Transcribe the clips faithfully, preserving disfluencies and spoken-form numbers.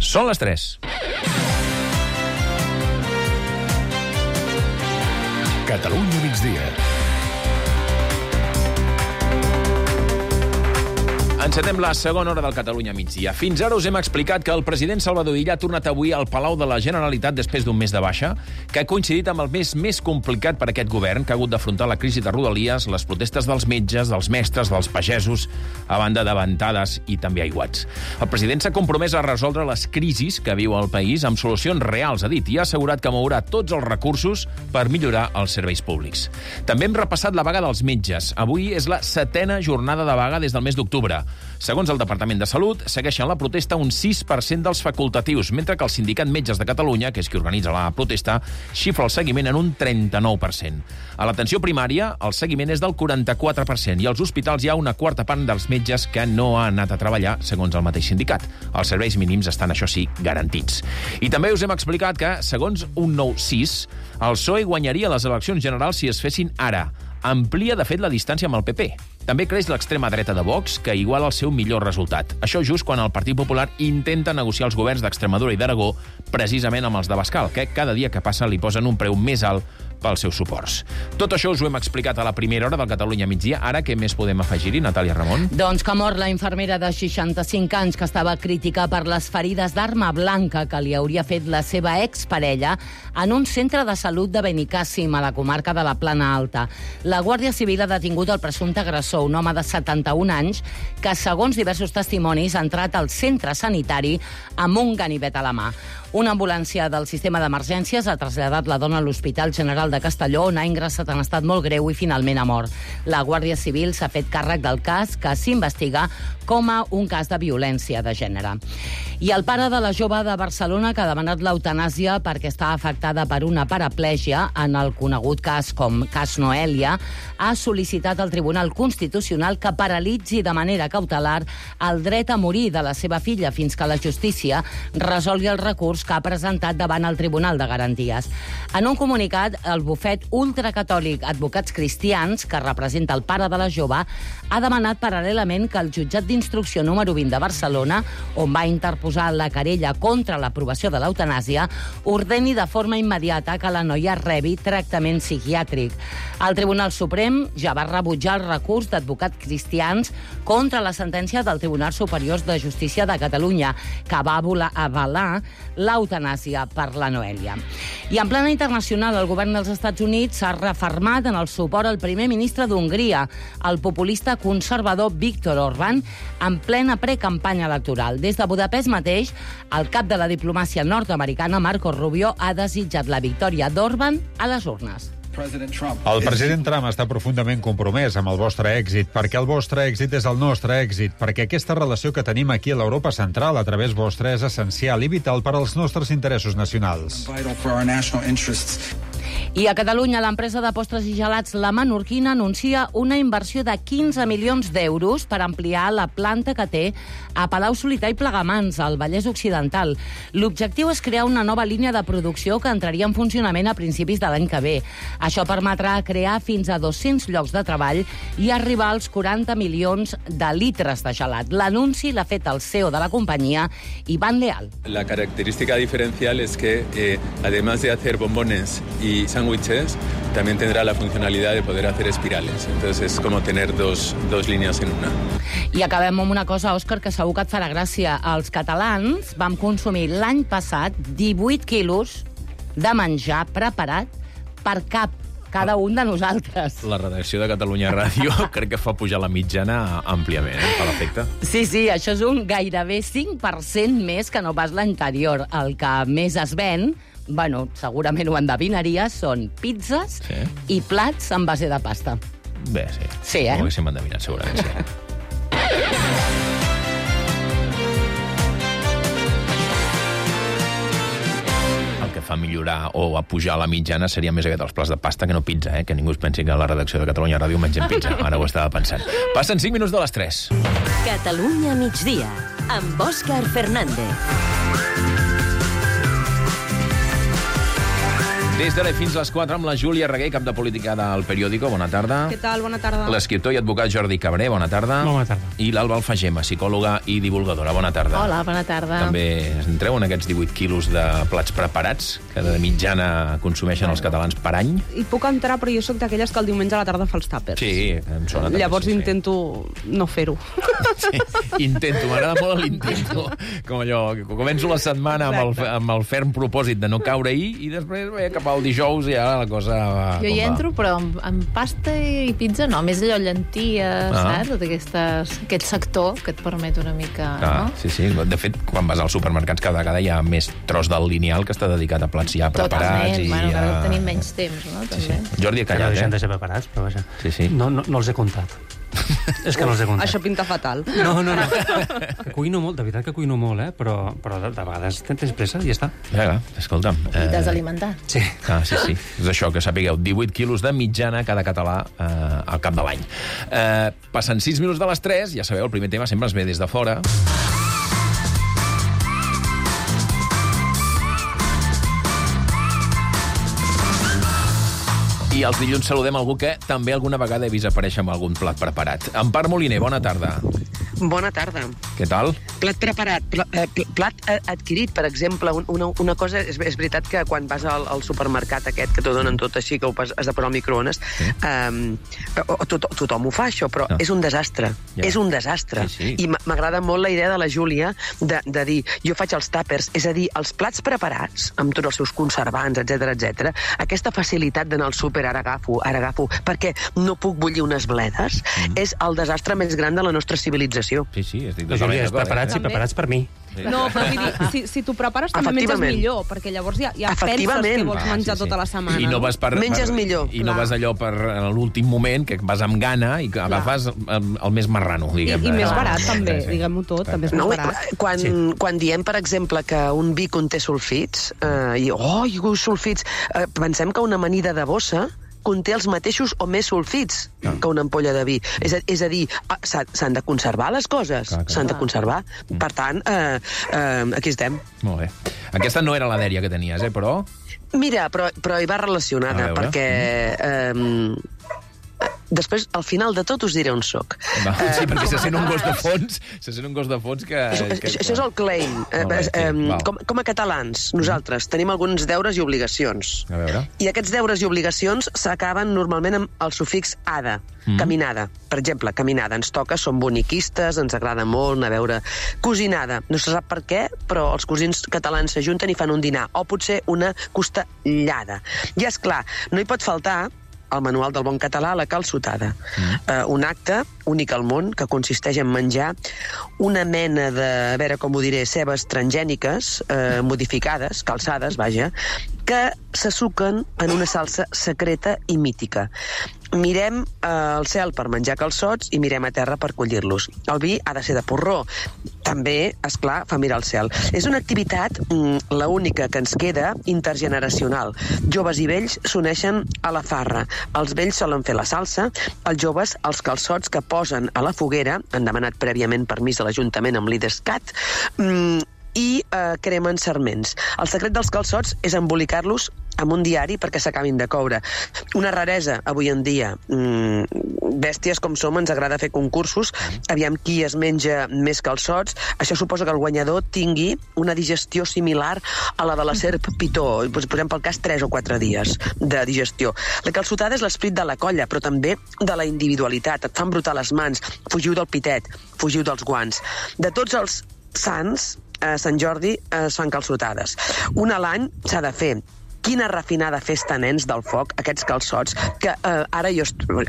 Són les tres. Catalunya migdia. Encetem la segona hora del Catalunya migdia. Fins ara us hem explicat que el president Salvador Illa ha tornat avui al Palau de la Generalitat després d'un mes de baixa, que ha coincidit amb el mes més complicat per a aquest govern, que ha hagut d'afrontar la crisi de Rodalies, les protestes dels metges, dels mestres, dels pagesos, a banda de ventades i també aiguats. El president s'ha compromès a resoldre les crisis que viu el país amb solucions reals, ha dit, i ha assegurat que mourà tots els recursos per millorar els serveis públics. També hem repassat la vaga dels metges. Avui és la setena jornada de vaga des del mes d'octubre. Segons el Departament de Salut, segueixen la protesta un sis per cent dels facultatius, mentre que el Sindicat Metges de Catalunya, que és qui organitza la protesta, xifra el seguiment en un trenta-nou per cent. A l'atenció primària, el seguiment és del quaranta-quatre per cent i als hospitals hi ha una quarta part dels metges que no han anat a treballar, segons el mateix sindicat. Els serveis mínims estan, això sí, garantits. I també us hem explicat que, segons un nou sis, el P S O E guanyaria les eleccions generals si es fessin ara. Amplia, de fet, la distància amb el P P. També creix l'extrema dreta de Vox, que iguala el seu millor resultat. Això just quan el Partit Popular intenta negociar els governs d'Extremadura i d'Aragó, precisament amb els de Bascal, que cada dia que passa li posen un preu més alt pels seus suports. Tot això us ho hem explicat a la primera hora del Catalunya migdia. Ara, què més podem afegir-hi, Natàlia Ramon? Doncs que mor la infermera de seixanta-cinc anys que estava crítica per les ferides d'arma blanca que li hauria fet la seva exparella en un centre de salut de Benicàssim, a la comarca de la Plana Alta. La Guàrdia Civil ha detingut el presumpte agressor, un home de setanta-un anys, que, segons diversos testimonis, ha entrat al centre sanitari amb un ganivet a la mà. Una ambulància del sistema d'emergències ha traslladat la dona a l'Hospital General de Castelló, on ha ingressat en estat molt greu i finalment ha mort. La Guàrdia Civil s'ha fet càrrec del cas, que s'investiga com a un cas de violència de gènere. I el pare de la jove de Barcelona, que ha demanat l'eutanàsia perquè està afectada per una paraplègia, en el conegut cas com cas Noèlia, ha sol·licitat al Tribunal Constitucional que paralitzi de manera cautelar el dret a morir de la seva filla fins que la justícia resolgui el recurs que ha presentat davant el Tribunal de Garanties. En un comunicat, el bufet ultracatòlic Advocats Cristians, que representa el pare de la jove, ha demanat paral·lelament que el jutjat d'instrucció número vint de Barcelona, on va interposar la querella contra l'aprovació de l'eutanàsia, ordeni de forma immediata que la noia rebi tractament psiquiàtric. El Tribunal Suprem ja va rebutjar el recurs d'Advocats Cristians contra la sentència del Tribunal Superior de Justícia de Catalunya, que va avalar l'eutanàsia per la Noèlia. I en plana internacional, el govern dels Estats Units s'ha refermat en el suport al primer ministre d'Hongria, el populista conservador Viktor Orbán, en plena precampanya electoral. Des de Budapest mateix, el cap de la diplomàcia nord-americana, Marco Rubio, ha desitjat la victòria d'Orbán a les urnes. El president Trump està profundament compromès amb el vostre èxit, perquè el vostre èxit és el nostre èxit, perquè aquesta relació que tenim aquí a l'Europa central a través vostre és essencial i vital per als nostres interessos nacionals. I a Catalunya, l'empresa de postres i gelats La Menorquina anuncia una inversió de quinze milions d'euros per ampliar la planta que té a Palau-solità i Plegamans, al Vallès Occidental. L'objectiu és crear una nova línia de producció que entraria en funcionament a principis de l'any que ve. Això permetrà crear fins a dos-cents llocs de treball i arribar als quaranta milions de litres de gelat. L'anunci l'ha fet el C E O de la companyia, Iván Leal. La característica diferencial es que, eh, además de hacer bombones y sándwiches, también tendrá la funcionalidad de poder hacer espirales. Entonces es como tener dos, dos líneas en una. I acabem amb una cosa, Òscar, que segur que et farà gràcia. Els catalans vam consumir l'any passat divuit quilos de menjar preparat per cap cada un de nosaltres. La redacció de Catalunya Ràdio crec que fa pujar la mitjana àmpliament, eh, per l'efecte. Sí, sí, això és un gairebé cinc per cent més que no pas l'anterior. El que més es ven, bueno, segurament ho endevinaries, són pizzas sí. i plats en base de pasta. Bé, sí. Sí, eh? Ho haguéssim endevinat, segurament, sí. El que fa millorar o a pujar la mitjana seria més aviat els plats de pasta que no pizza, eh? Que ningú es pensi que a la redacció de Catalunya Ràdio mengem pizza. Ara ho estava pensant. Passen cinc minuts de les tres. Catalunya migdia, amb Òscar Fernández. Des d'ara fins a les quatre amb la Júlia Reguer, cap de política del Periòdico. Bona tarda. Què tal? Bona tarda. L'escriptor i advocat Jordi Cabré. Bona tarda. Bona tarda. I l'Alba Alfagema, psicòloga i divulgadora. Bona tarda. Hola, bona tarda. També entreu en aquests divuit quilos de plats preparats que de mitjana consumeixen els catalans per any. I puc entrar, però jo sóc d'aquelles que el diumenge a la tarda fa els tàpers. Sí, em sona també. Llavors sí, sí. intento no fer-ho. Sí, intento, m'agrada molt l'intento. Com allò, que començo la setmana amb el, amb el ferm propòsit de no caure-hi i després bé, cap al dijous ja la cosa va... Jo hi entro, però amb, amb pasta i pizza no, més allò llenties, Ah. saps? Tot aquestes, aquest sector que et permet una mica... Ah, no? sí, sí. De fet, quan vas als supermercats cada vegada hi ha més tros del lineal que està dedicat a plats ja preparats. Totalment, I bueno, a... cada tenim menys temps, no? Sí, També. sí. Jordi ha Que no callat, deixen de eh? ser preparats, però vaja. Sí, sí. No, no, no els he comptat. És que no els he comptat. Això pinta fatal. No, no, no. Que cuino molt, de veritat que cuino molt, eh? Però, però de, de vegades tens pressa i ja està. Vinga, escolta'm. I t'has alimentat. Sí. Ah, sí, sí. És això, que sapigueu. divuit quilos de mitjana cada català eh, al cap de l'any. Eh, passen sis minuts de les tres, ja sabeu, el primer tema sempre es ve des de fora. I els dilluns saludem algú que també alguna vegada he vist aparèixer amb algun plat preparat. Empar Moliner, bona tarda. Bona tarda. Què tal? Plat preparat, pl eh, pl plat eh, adquirit, per exemple, un, una, una cosa, és, és veritat que quan vas al, al supermercat aquest, que t'ho donen tot així, que ho has, has de posar al microones, sí. eh, o, tot, tothom ho fa, això, però no. és un desastre. Ja. És un desastre. Sí, sí. I m'agrada molt la idea de la Júlia de, de dir, jo faig els tàpers, és a dir, els plats preparats, amb tots els seus conservants, etc etc. Aquesta facilitat d'anar al súper, ara agafo, ara agafo, perquè no puc bullir unes bledes, mm. és el desastre més gran de la nostra civilització. Sí, sí, estic La Júlia, és d'acord, preparats eh? i preparats per mi. No, però vull dir, si, si t'ho prepares també menges millor, perquè llavors ja, ja penses que vols menjar Ah, sí, sí. tota la setmana. I no vas per, Menges per, millor. I no Clar. vas allò per l'últim moment, que vas amb gana i que agafes el, el més marrano, I, diguem. I més Ah, barat, també, sí, sí. diguem-ho tot, també és més No, barat. quan, Sí. quan diem, per exemple, que un vi conté sulfits, eh, i, oh, i sulfits, eh, pensem que una amanida de bossa conté els mateixos o més sulfits Ah. que una ampolla de vi. És a, és a dir, ah, s'han de conservar les coses, Clar, clar. s'han de conservar. Per tant, eh, eh, aquí estem. Molt bé. Aquesta no era la dèria que tenies, eh, però... Mira, però, però hi va relacionada, A veure. perquè... Eh, després, al final de tot, us diré on soc. Va, Eh, sí, perquè se sent un com a- gos de fons, se sent un gos de fons que... Això, que això, això és el claim. Eh, Molt bé, sí, eh, val. com, com a catalans, nosaltres tenim alguns deures i obligacions. A veure... I aquests deures i obligacions s'acaben normalment amb el sufix ada, Mm. caminada. Per exemple, caminada ens toca, som boniquistes, ens agrada molt anar a veure cosinada. No se sap per què, però els cosins catalans s'ajunten i fan un dinar, o potser una costellada. I, és clar, no hi pot faltar al manual del bon català, la calçotada. Mm. Uh, un acte únic al món que consisteix en menjar una mena de, a veure com ho diré, cebes transgèniques, uh, modificades, calçades, vaja, que se suquen en una salsa secreta i mítica. Mirem eh, al cel per menjar calçots i mirem a terra per collir-los. El vi ha de ser de porró. També, és clar, fa mirar al cel. És una activitat, mm, la única que ens queda, intergeneracional. Joves i vells s'uneixen a la farra. Els vells solen fer la salsa, els joves els calçots que posen a la foguera, han demanat prèviament permís a l'Ajuntament amb l'IDESCAT, mm, i eh, cremen sarments. El secret dels calçots és embolicar-los amb un diari perquè s'acabin de coure. Una raresa avui en dia. Mm, bèsties com som, ens agrada fer concursos, aviam qui es menja més calçots. Això suposa que el guanyador tingui una digestió similar a la de la serp pitó. Posem pel cas tres o quatre dies de digestió. La calçotada és l'esperit de la colla, però també de la individualitat. Et fan brotar les mans, fugiu del pitet, fugiu dels guants. De tots els sants, a Sant Jordi es fan calçotades. Una a l'any s'ha de fer. Quina refinada festa, nens, del foc, aquests calçots, que eh, ara jo,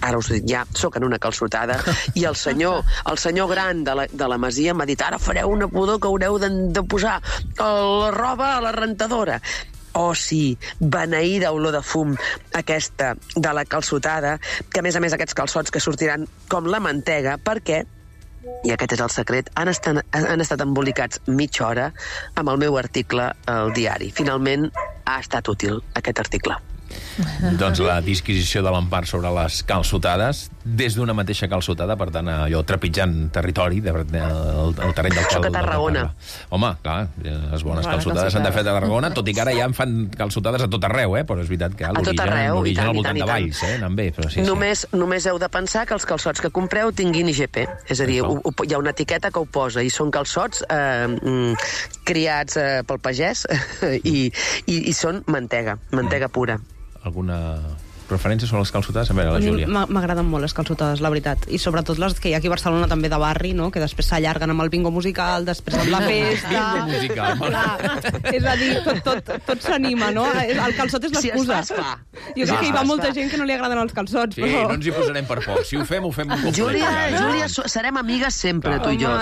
ara us dic, ja soc en una calçotada, i el senyor, el senyor gran de la, de la masia m'ha dit, ara fareu una pudor que haureu de, de posar la roba a la rentadora. Oh, sí, beneïda olor de fum, aquesta de la calçotada, que a més a més aquests calçots que sortiran com la mantega, perquè i aquest és el secret, han estat, han estat embolicats mitja hora amb el meu article al diari. Finalment ha estat útil aquest article. doncs la disquisició de l'Empar sobre les calçotades, des d'una mateixa calçotada, per tant, allò trepitjant territori, de, de, el, el terreny del Soc a Tarragona. Home, clar, les bones calçotades s'han de fer a Tarragona, tot i que ara ja en fan calçotades a tot arreu, eh? Però és veritat que l'origen al voltant de Valls, eh? Anant bé, però sí, només, sí. Només heu de pensar que els calçots que compreu tinguin I G P, és a dir, ho, ho, hi ha una etiqueta que ho posa, i són calçots eh, criats eh, pel pagès i, i, i són mantega, mantega pura. Alguna preferència sobre les calçotades? A veure, la Júlia. M'agraden molt les calçotades, la veritat. I sobretot les que hi ha aquí a Barcelona també de barri, no? Que després s'allarguen amb el bingo musical, després amb la festa... Bingo musical. Clar, és a dir, tot, tot, tot s'anima, no? El calçot és l'excusa. Si es fa, jo crec que hi va molta gent que no li agraden els calçots, sí, però... no ens hi posarem per poc. Si ho fem, ho fem un cop. Júlia, Júlia, serem amigues sempre, tu i jo.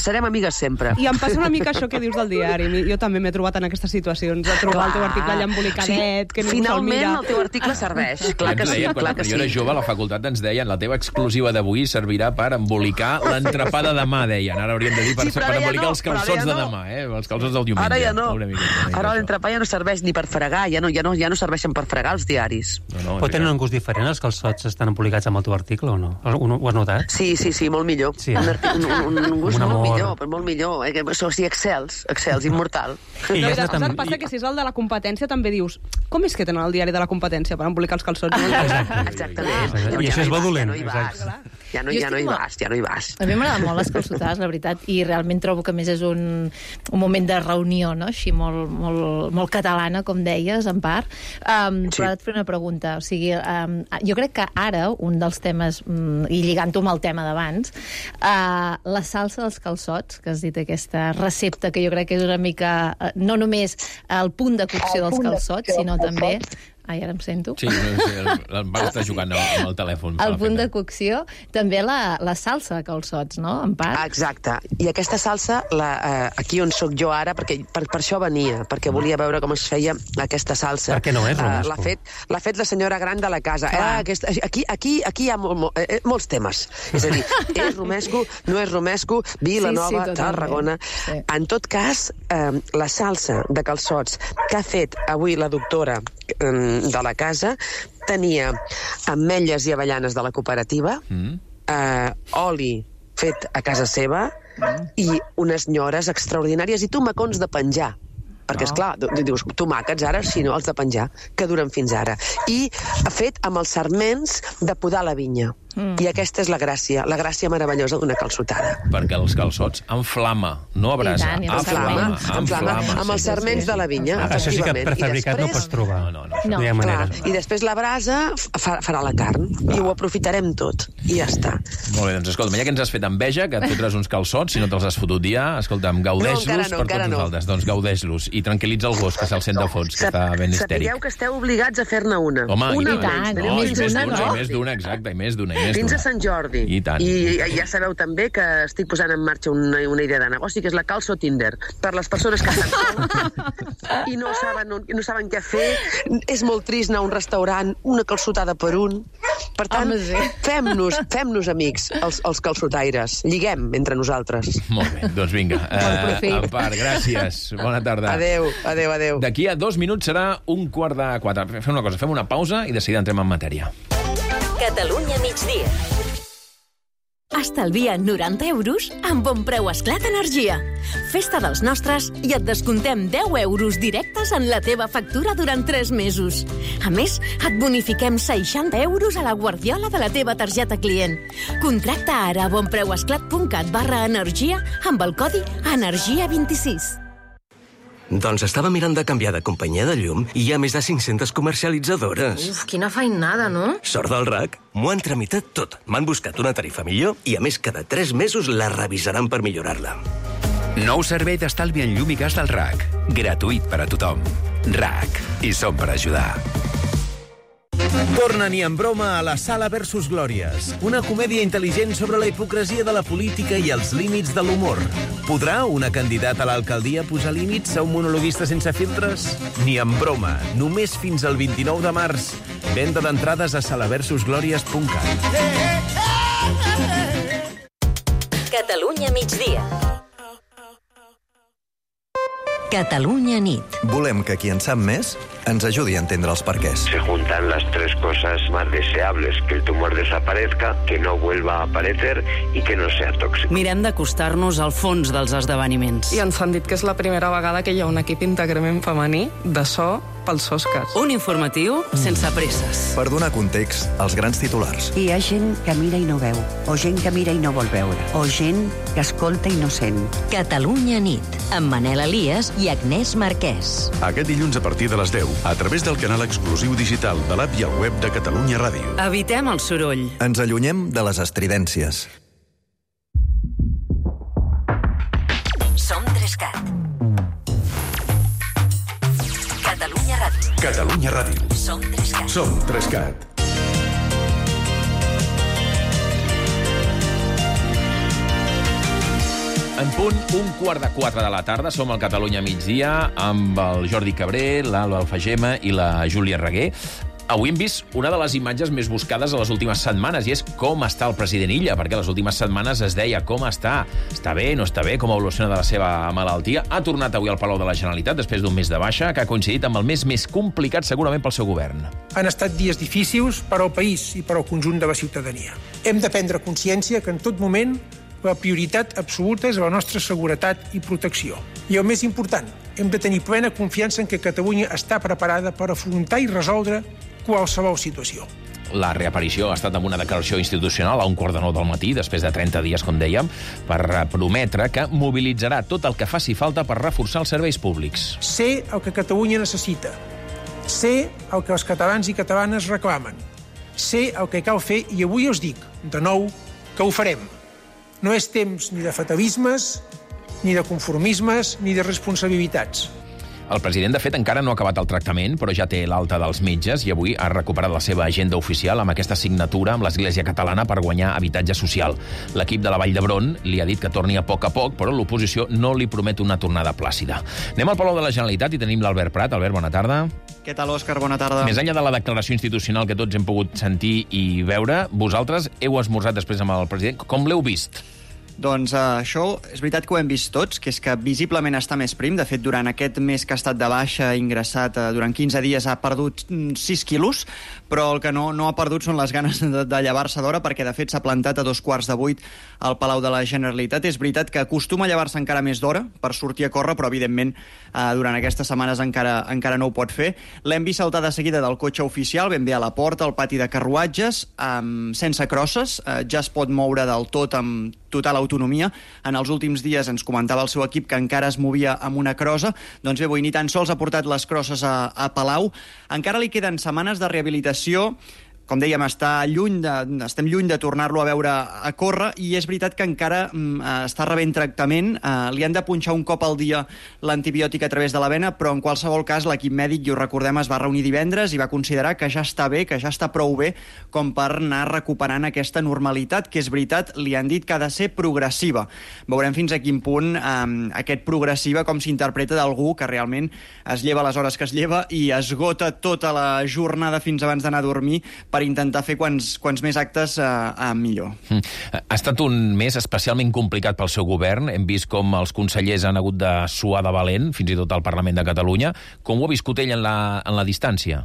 Serem amigues sempre. I em passa una mica això que dius del diari. Jo també m'he trobat en aquestes situacions, de trobar el teu article allà embolicadet, que ningú se'l mira. Finalment, el teu article serveix, clar que sí, clar que sí. Jo era jove, a la facultat ens deien la teva exclusiva d'avui servirà per embolicar l'entrepà de demà, deien. Ara hauríem de dir per, sí, per embolicar no, els calçots ja no. de demà, eh? Els calçots del diumenge. Ara ja no. Una mica, una mica ara l'entrepà ja no serveix ni per fregar, ja no, ja no, ja no serveixen per fregar els diaris. No, no, Pot tenir un gust diferent, els calçots estan embolicats amb el teu article o no? Ho, ho has notat? Sí, sí, sí, molt millor. Sí. Un, un, un, un gust un molt millor, però molt millor. Eh? O sigui, excels, excels, immortal. I no, ja tam... passa que si és el de la competència també dius, com és que tenen el diari de la competència per embolicar els calçots? Exacte. Exactament. I això és bo dolent. Ja no hi vas, ja no, ja no hi vas, ja no hi vas. A mi m'agraden molt les calçotades, la veritat, i realment trobo que més és un, un moment de reunió, no? Així molt, molt, molt catalana, com deies, en part. Um, sí. Però ara et faré una pregunta. O sigui, um, jo crec que ara, un dels temes, um, i lligant-ho amb el tema d'abans, uh, la salsa dels calçots, que has dit aquesta recepta, que jo crec que és una mica, uh, no només el punt de cocció dels calçots, sinó també... Ai, ara em sento. Sí, l'Empar està jugant amb el telèfon. El punt de cocció, també la, la salsa de calçots, no, Empar? Exacte. I aquesta salsa, la, eh, aquí on sóc jo ara, perquè per, per això venia, perquè volia veure com es feia aquesta salsa. Perquè no és romesco. Uh, l'ha fet, l'ha fet la senyora gran de la casa. Eh, aquesta, aquí, aquí, aquí hi ha mol, mol, eh, molts temes. És a dir, és romesco, no és romesco, Vilanova, sí, sí, Tarragona... Sí. En tot cas, eh, la salsa de calçots que ha fet avui la doctora de la casa tenia ametlles i avellanes de la cooperativa, mm. eh, oli fet a casa seva mm. i unes nyores extraordinàries i tomacons de penjar. Perquè, esclar, dius, tomàquets ara, si no, els de penjar, que duren fins ara. I ha fet amb els sarments de podar la vinya. Mm. I aquesta és la gràcia, la gràcia meravellosa d'una calçotada. Perquè els calçots en flama, no a brasa, tant, a flama, en flama. Amb els sarments de la vinya, ah, això sí que prefabricat no pots trobar. No, no, no, no. no clar, I després la brasa fa, farà la carn, clar. I ho aprofitarem tot, i ja està. Molt bé, doncs escolta, ja que ens has fet enveja, que et fotràs uns calçots, si no te'ls has fotut ja, escolta'm, gaudeix-los no, no, per tots no. nosaltres, doncs gaudeix-los, i tranquil·litza el gos, que se'l sent de fons, que està ben histèric. Sapigueu que esteu obligats a fer-ne una. Home, una i tant, no, i més d'una, i més d'una, exacte, i més d'una, i més d'una. Fins a Sant Jordi. I tant. I ja sabeu també que estic posant en marxa una, una idea de negoci, que és la calço Tinder. Per les persones que estan soles i no saben, no, no saben què fer. És molt trist anar a un restaurant, una calçotada per un. Per tant, fem-nos fem-nos amics, els, els calçotaires. Lliguem entre nosaltres. Molt bé, doncs vinga. Uh, Empar, gràcies. Bona tarda. Adéu, adéu, adéu. D'aquí a dos minuts serà un quart de quatre. Fem una cosa, fem una pausa i de seguida entrem en matèria. Catalunya migdia. Estalvia noranta euros amb Bon Preu Esclat Energia. Festa dels nostres i et descontem deu euros directes en la teva factura durant tres mesos. A més, et bonifiquem seixanta euros a la guardiola de la teva targeta client. Contracta ara a bonpreuesclat punt cat barra energia amb el codi energia vint-i-sis. Doncs estava mirant de canviar de companyia de llum i hi ha més de cinc-centes comercialitzadores. Uf, quina feinada, no? Sort del R A C. M'ho han tramitat tot. M'han buscat una tarifa millor i, a més, cada tres mesos la revisaran per millorar-la. Nou servei d'estalvi en llum i gas del R A C. Gratuït per a tothom. R A C. I som per ajudar. Torna ni en broma a La Sala versus Glòries, una comèdia intel·ligent sobre la hipocresia de la política i els límits de l'humor. Podrà una candidata a l'alcaldia posar límits a un monologuista sense filtres? Ni en broma, només fins al vint-i-nou de març. Venda d'entrades a sala versus glòries punt cat. Catalunya migdia. Catalunya nit. Volem que qui en sap més ens ajudi a entendre els perquès. Se juntan las tres cosas más deseables, que el tumor desaparezca, que no vuelva a aparecer y que no sea tóxico. Mirem d'acostar-nos al fons dels esdeveniments. I ens han dit que és la primera vegada que hi ha un equip íntegrament femení de so pels Oscars. Un informatiu sense presses. Per donar context als grans titulars. Hi ha gent que mira i no veu, o gent que mira i no vol veure, o gent que escolta i no sent. Catalunya nit, amb Manel Elias i Agnès Marquès. Aquest dilluns a partir de les deu, a través del canal exclusiu digital de l'app i el web de Catalunya Ràdio. Evitem el soroll. Ens allunyem de les estridències. Som Trescat. Catalunya Ràdio. Catalunya Ràdio. Som Trescat. Som Trescat. En punt, un quart de quatre de la tarda, som al Catalunya migdia, amb el Jordi Cabré, l'Alba Alfagema i la Júlia Reguer. Avui hem vist una de les imatges més buscades a les últimes setmanes, i és com està el president Illa, perquè les últimes setmanes es deia com està, està bé, no està bé, com evoluciona de la seva malaltia. Ha tornat avui al Palau de la Generalitat després d'un mes de baixa, que ha coincidit amb el mes més complicat segurament pel seu govern. Han estat dies difícils per al país i per al conjunt de la ciutadania. Hem de prendre consciència que en tot moment la prioritat absoluta és la nostra seguretat i protecció. I el més important, hem de tenir plena confiança en que Catalunya està preparada per afrontar i resoldre qualsevol situació. La reaparició ha estat amb una declaració institucional a un quart de nou del matí, després de trenta dies, com dèiem, per prometre que mobilitzarà tot el que faci falta per reforçar els serveis públics. Sé el que Catalunya necessita. Sé el que els catalans i catalanes reclamen. Sé el que cal fer i avui us dic, de nou, que ho farem. No és temps ni de fatalismes, ni de conformismes, ni de responsabilitats. El president, de fet, encara no ha acabat el tractament, però ja té l'alta dels metges i avui ha recuperat la seva agenda oficial amb aquesta signatura amb l'Església Catalana per guanyar habitatge social. L'equip de la Vall d'Hebron li ha dit que torni a poc a poc, però l'oposició no li promet una tornada plàcida. Anem al Palau de la Generalitat i tenim l'Albert Prat. Albert, bona tarda. Què tal, Òscar? Bona tarda. Més enllà de la declaració institucional que tots hem pogut sentir i veure, vosaltres heu esmorzat després amb el president. Com l'heu vist? Doncs uh, això és veritat que ho hem vist tots, que és que visiblement està més prim. De fet, durant aquest mes que ha estat de baixa, ingressat uh, durant quinze dies, ha perdut sis quilos, però el que no, no ha perdut són les ganes de, de llevar-se d'hora, perquè de fet s'ha plantat a dos quarts de vuit al Palau de la Generalitat. És veritat que acostuma a llevar-se encara més d'hora per sortir a córrer, però evidentment uh, durant aquestes setmanes encara, encara no ho pot fer. L'hem vist saltar de seguida del cotxe oficial, ben bé a la porta, al pati de carruatges, um, sense crosses, uh, ja es pot moure del tot amb total autonomia. En els últims dies ens comentava el seu equip que encara es movia amb una crossa. Doncs bé, avui ni tan sols ha portat les crosses a, a Palau. Encara li queden setmanes de rehabilitació. Com dèiem, està lluny de, estem lluny de tornar-lo a veure a córrer, i és veritat que encara mm, està rebent tractament. Uh, li han de punxar un cop al dia l'antibiòtic a través de la vena, però en qualsevol cas l'equip mèdic, i ho recordem, es va reunir divendres i va considerar que ja està bé, que ja està prou bé com per anar recuperant aquesta normalitat, que és veritat, li han dit que ha de ser progressiva. Veurem fins a quin punt um, aquest progressiva com s'interpreta d'algú que realment es lleva les hores que es lleva i esgota tota la jornada fins abans d'anar a dormir per intentar fer quants, quants més actes eh, eh, millor. Mm. Ha estat un mes especialment complicat pel seu govern. Hem vist com els consellers han hagut de suar de valent, fins i tot al Parlament de Catalunya. Com ho ha viscut ell en la, en la distància?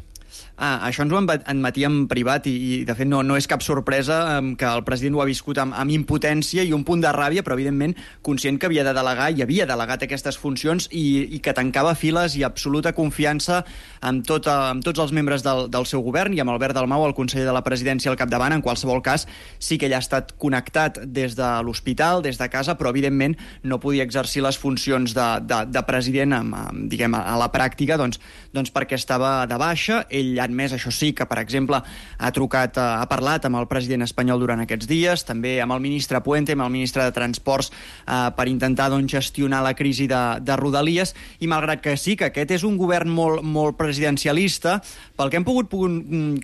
Ah, això ens ho admetia en privat i, i de fet, no, no és cap sorpresa eh, que el president ho ha viscut amb, amb impotència i un punt de ràbia, però evidentment conscient que havia de delegar i havia delegat aquestes funcions i, i que tancava files i absoluta confiança amb, tot, amb tots els membres del, del seu govern i amb Albert Dalmau, el conseller de la presidència, al capdavant. En qualsevol cas, sí que ell ha estat connectat des de l'hospital, des de casa, però evidentment no podia exercir les funcions de, de, de president amb, amb, diguem, a la pràctica, doncs, doncs perquè estava de baixa. Ell ha admès, això sí, que, per exemple, ha trucat, ha parlat amb el president espanyol durant aquests dies, també amb el ministre Puente, amb el ministre de Transports, eh, per intentar doncs, gestionar la crisi de, de Rodalies, i malgrat que sí, que aquest és un govern molt, molt presidencialista, pel que hem pogut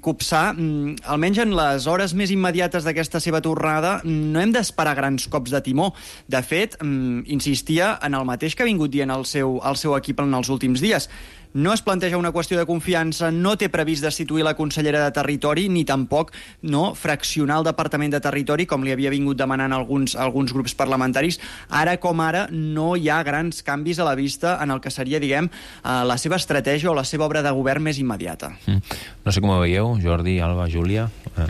copsar, almenys en les hores més immediates d'aquesta seva tornada, no hem d'esperar grans cops de timó. De fet, insistia en el mateix que ha vingut dient el seu, el seu equip en els últims dies. no es planteja una qüestió de confiança, no té previst destituir la consellera de Territori, ni tampoc no fraccionar el Departament de Territori, com li havia vingut demanant alguns, alguns grups parlamentaris. Ara com ara no hi ha grans canvis a la vista en el que seria, diguem, la seva estratègia o la seva obra de govern més immediata. Mm. No sé com ho veieu, Jordi, Alba, Júlia... Eh.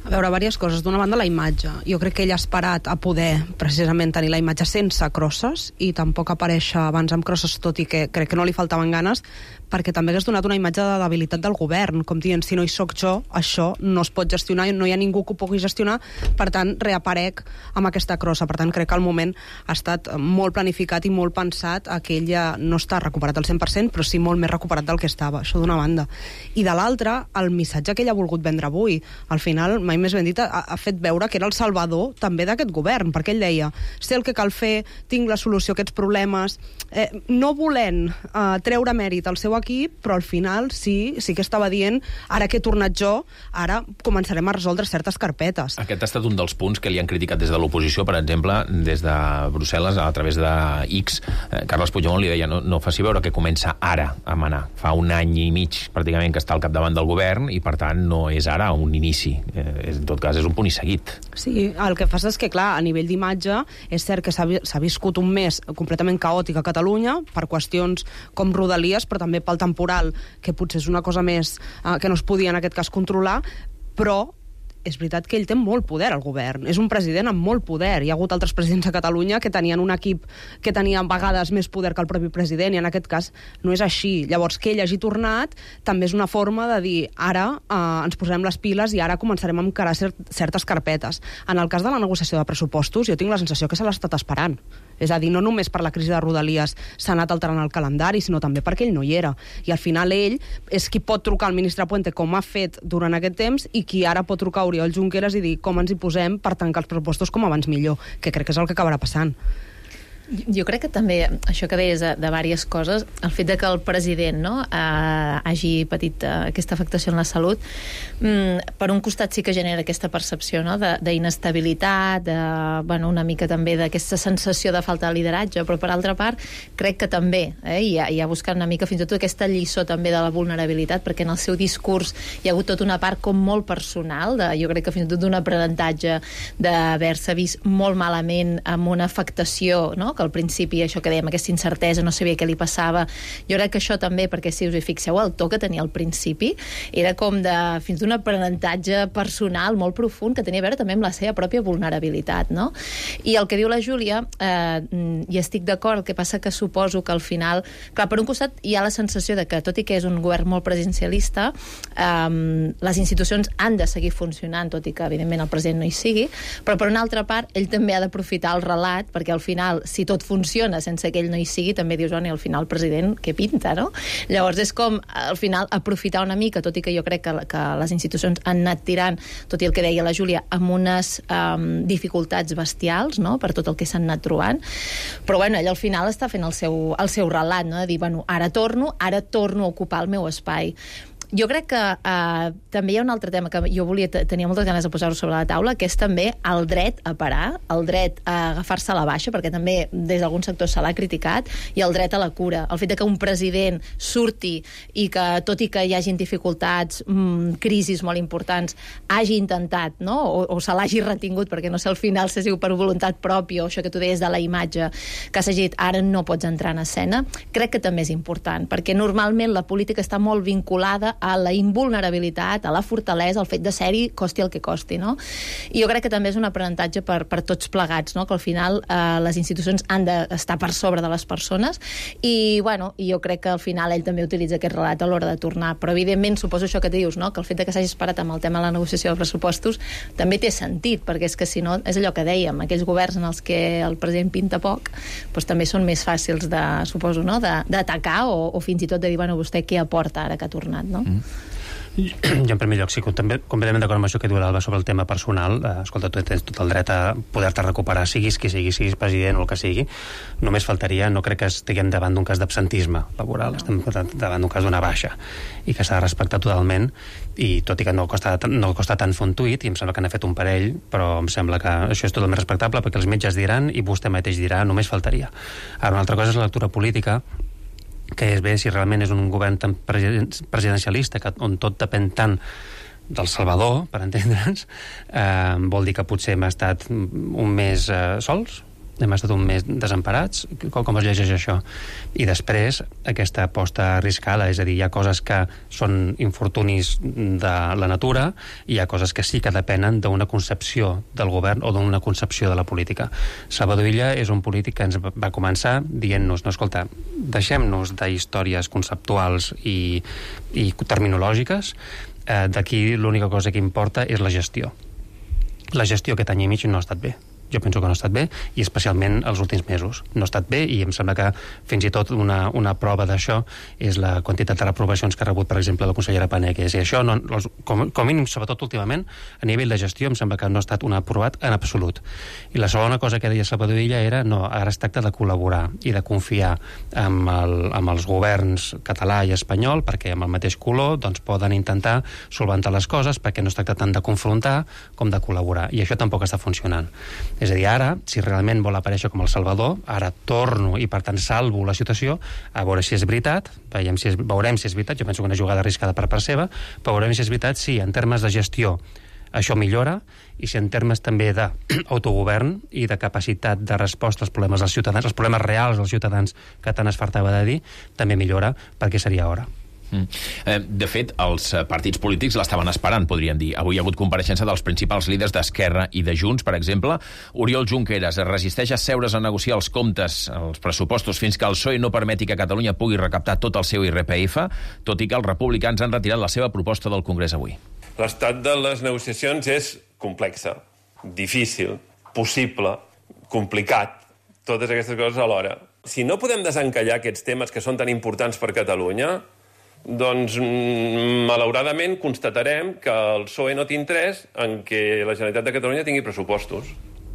A veure, diverses coses. D'una banda, la imatge. Jo crec que ell ha esperat a poder precisament tenir la imatge sense crosses i tampoc aparèixer abans amb crosses, tot i que crec que no li faltaven ganes, perquè també hagués donat una imatge de debilitat del govern, com dient, si no hi soc jo, això no es pot gestionar, no hi ha ningú que ho pugui gestionar, per tant, reaparec amb aquesta crossa. Per tant, crec que el moment ha estat molt planificat i molt pensat, a que ell ja no està recuperat al cent per cent, però sí molt més recuperat del que estava, això d'una banda. I de l'altra, el missatge que ell ha volgut vendre avui, al final, mai més ben dit, ha, ha fet veure que era el salvador també d'aquest govern, perquè ell deia, sé el que cal fer, tinc la solució a aquests problemes, eh, no volent eh, treure mèrit al seu equip, però al final sí, sí que estava dient, ara que he tornat jo, ara començarem a resoldre certes carpetes. Aquest ha estat un dels punts que li han criticat des de l'oposició, per exemple, des de Brussel·les, a través de X. Eh, Carles Puigdemont li deia, no, no faci veure que comença ara a manar. Fa un any i mig, pràcticament, que està al capdavant del govern, i per tant no és ara un inici. Eh, en tot cas, és un punt i seguit. Sí, el que passa és que, clar, a nivell d'imatge, és cert que s'ha viscut un mes completament caòtic a Catalunya, per qüestions com Rodalies, però també pel temporal, que potser és una cosa més eh, que no es podia en aquest cas controlar, però és veritat que ell té molt poder al govern. És un president amb molt poder. Hi ha hagut altres presidents a Catalunya que tenien un equip que tenia a vegades més poder que el propi president, i en aquest cas no és així. Llavors, que ell hagi tornat també és una forma de dir, ara eh, ens posarem les piles i ara començarem a encarar cert, certes carpetes. En el cas de la negociació de pressupostos, jo tinc la sensació que se l'ha estat esperant. És a dir, no només per la crisi de Rodalies s'ha anat alterant el calendari, sinó també perquè ell no hi era. I al final ell és qui pot trucar al ministre Puente, com ha fet durant aquest temps, i qui ara pot trucar a Oriol Junqueras i dir com ens hi posem per tancar els pressupostos com abans millor, que crec que és el que acabarà passant. Jo crec que també, això que deies de, de diverses coses, el fet de que el president no, eh, hagi patit eh, aquesta afectació en la salut, mm, per un costat sí que genera aquesta percepció no, d'inestabilitat, de, de, bueno, una mica també d'aquesta sensació de falta de lideratge, però per altra part crec que també, eh, i, ha, i ha buscat una mica fins i tot aquesta lliçó també de la vulnerabilitat, perquè en el seu discurs hi ha hagut tota una part com molt personal, de, jo crec que fins i tot d'un aprenentatge d'haver-se vist molt malament amb una afectació, no?, que al principi, això que dèiem, aquesta incertesa, no sabia què li passava. Jo crec que això també, perquè si us hi fixeu, el to que tenia al principi era com de, fins d'un aprenentatge personal molt profund que tenia a veure també amb la seva pròpia vulnerabilitat, no? I el que diu la Júlia, eh, hi estic d'acord, el que passa que suposo que al final, clar, per un costat hi ha la sensació de que, tot i que és un govern molt presidencialista, eh, les institucions han de seguir funcionant, tot i que evidentment el president no hi sigui, però per una altra part, ell també ha d'aprofitar el relat, perquè al final, si tot funciona sense que ell no hi sigui, també dius, oh, i al final el president què pinta, no? Llavors és com, al final, aprofitar una mica, tot i que jo crec que, que les institucions han anat tirant, tot i el que deia la Júlia, amb unes um, dificultats bestials, no?, per tot el que s'han anat trobant, però bueno, ell al final està fent el seu, el seu relat, no?, de dir, bueno, ara torno, ara torno a ocupar el meu espai. Jo crec que eh, també hi ha un altre tema que jo volia tenia moltes ganes de posar-ho sobre la taula, que és també el dret a parar, el dret a agafar-se a la baixa, perquè també des d'algun sector se l'ha criticat, i el dret a la cura. El fet de que un president surti i que, tot i que hi hagin dificultats, mmm, crisis molt importants, hagi intentat, no?, o, o se l'hagi retingut, perquè no sé, al final se diu per voluntat pròpia, o això que tu deies de la imatge, que s'ha dit, ara no pots entrar en escena, crec que també és important, perquè normalment la política està molt vinculada a la invulnerabilitat, a la fortalesa, al fet de ser-hi costi el que costi, no? I jo crec que també és un aprenentatge per, per tots plegats, no?, que al final eh, les institucions han d'estar per sobre de les persones, i bueno, i jo crec que al final ell també utilitza aquest relat a l'hora de tornar, però evidentment suposo això que dius, no?, que el fet de que s'hagi esperat amb el tema de la negociació de pressupostos també té sentit, perquè és que si no, és allò que dèiem, aquells governs en els que el president pinta poc, doncs també són més fàcils de, suposo, no?, d'atacar o, o fins i tot de dir, bueno, vostè què aporta ara que ha tornat, no? Mm. Jo en primer lloc sí, també, completament d'acord amb això que diu l'Alba sobre el tema personal. Eh, escolta, tu tens tot el dret a poder-te recuperar, siguis qui siguis, siguis president o el que sigui. Només faltaria, no crec que estiguem davant d'un cas d'absentisme laboral, estem davant d'un cas d'una baixa, i que s'ha de respectar totalment, i tot i que no costa, no costa tant fer un tuit, i em sembla que n'ha fet un parell, però em sembla que això és totalment respectable, perquè els metges diran, i vostè mateix dirà, només faltaria. Ara, una altra cosa és la lectura política, que és bé si realment és un govern tan presidencialista, que, on tot depèn tant del Salvador, per entendre'ns, eh, vol dir que potser hem estat un mes eh, sols, hem estat un mes desemparats. Com, com es llegeix això? I després, aquesta aposta arriscada, és a dir, hi ha coses que són infortunis de la natura i hi ha coses que sí que depenen d'una concepció del govern o d'una concepció de la política. Salvador Illa és un polític que ens va començar dient-nos, no, escolta, deixem-nos d'històries conceptuals i, i terminològiques, eh, d'aquí l'única cosa que importa és la gestió. La gestió aquest any i mig no ha estat bé. Jo penso que no ha estat bé, i especialment els últims mesos. No ha estat bé, i em sembla que fins i tot una, una prova d'això és la quantitat de reprovacions que ha rebut, per exemple, la consellera Paneque. I això, no, com, com mínim, sobretot últimament, a nivell de gestió, em sembla que no ha estat un aprovat en absolut. I la segona cosa que deia Salvador Illa era, no, ara es tracta de col·laborar i de confiar amb, el, amb els governs català i espanyol, perquè amb el mateix color doncs, poden intentar solventar les coses, perquè no es tracta tant de confrontar com de col·laborar. I això tampoc està funcionant. És a dir, ara, si realment vol aparèixer com el Salvador, ara torno i, per tant, salvo la situació, a veure si és veritat, veiem si és, veurem si és veritat, jo penso que una jugada arriscada per part seva, però veurem si és veritat si en termes de gestió això millora, i si en termes també d'autogovern i de capacitat de resposta als problemes dels ciutadans, els problemes reals dels ciutadans que tant es fartava de dir, també millora, perquè seria hora. De fet, els partits polítics l'estaven esperant, podríem dir. Avui hi ha hagut compareixença dels principals líders d'Esquerra i de Junts, per exemple. Oriol Junqueras es resisteix a seure's a negociar els comptes, els pressupostos, fins que el P S O E no permeti que Catalunya pugui recaptar tot el seu I R P F, tot i que els republicans han retirat la seva proposta del Congrés avui. L'estat de les negociacions és complexa, difícil, possible, complicat, totes aquestes coses alhora. Si no podem desencallar aquests temes que són tan importants per Catalunya, doncs, malauradament, constatarem que el P S O E no té interès en que la Generalitat de Catalunya tingui pressupostos.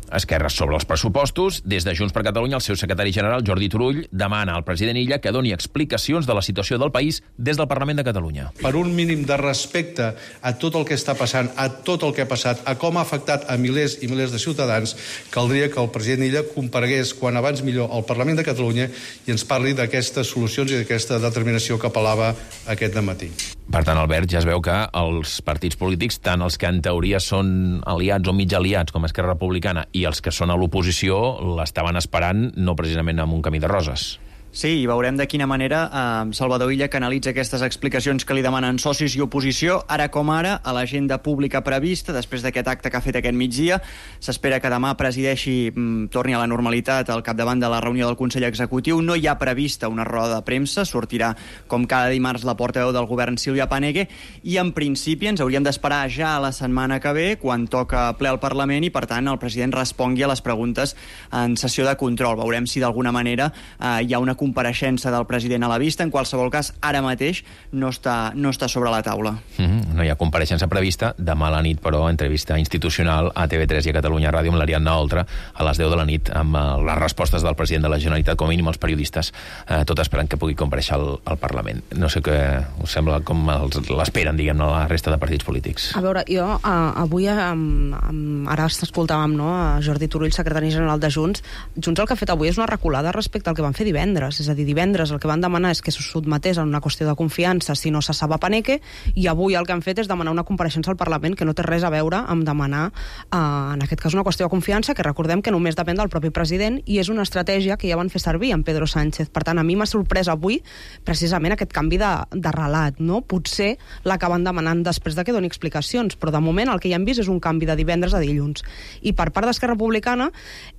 Esquerra sobre els pressupostos. Des de Junts per Catalunya, el seu secretari general, Jordi Turull, demana al president Illa que doni explicacions de la situació del país des del Parlament de Catalunya. Per un mínim de respecte a tot el que està passant, a tot el que ha passat, a com ha afectat a milers i milers de ciutadans, caldria que el president Illa comparegués quan abans millor al Parlament de Catalunya i ens parli d'aquestes solucions i d'aquesta determinació que apel·lava aquest dematí. Per tant, Albert, ja es veu que els partits polítics, tant els que en teoria són aliats o mig aliats, com Esquerra Republicana, i els que són a l'oposició, l'estaven esperant no precisament amb un camí de roses. Sí, i veurem de quina manera eh, Salvador Illa canalitza aquestes explicacions que li demanen socis i oposició. Ara com ara, a l'agenda pública prevista, després d'aquest acte que ha fet aquest migdia, s'espera que demà presideixi, mm, torni a la normalitat al capdavant de la reunió del Consell Executiu. No hi ha prevista una roda de premsa, sortirà com cada dimarts la portaveu del govern Sílvia Paneque, i en principi ens hauríem d'esperar ja a la setmana que ve, quan toca ple al Parlament, i per tant el president respongui a les preguntes en sessió de control. Veurem si d'alguna manera eh, hi ha una compareixença del president a la vista. En qualsevol cas, ara mateix no està, no està sobre la taula. Mm-hmm. No hi ha compareixença prevista. Demà a la nit, però, entrevista institucional a T V tres i a Catalunya Ràdio amb l'Ariadna Oltra a les deu de la nit, amb les respostes del president de la Generalitat, com a mínim els periodistes, eh, tot esperant que pugui compareixer al, al Parlament. No sé què us sembla, com l'esperen, diguem, la resta de partits polítics. A veure, jo uh, avui, um, um, ara escoltàvem, no, a Jordi Turull, secretari general de Junts. Junts el que ha fet avui és una reculada respecte al que van fer divendres. És a dir, divendres el que van demanar és que se sotmetés a una qüestió de confiança si no cessava Paneque, i avui el que han fet és demanar una compareixença al Parlament que no té res a veure amb demanar, eh, en aquest cas, una qüestió de confiança, que recordem que només depèn del propi president, i és una estratègia que ja van fer servir amb Pedro Sánchez. Per tant, a mi m'ha sorprès avui precisament aquest canvi de, de relat, no? Potser l'acaben demanant després de que doni explicacions, però de moment el que ja hem vist és un canvi de divendres a dilluns. I per part d'Esquerra Republicana,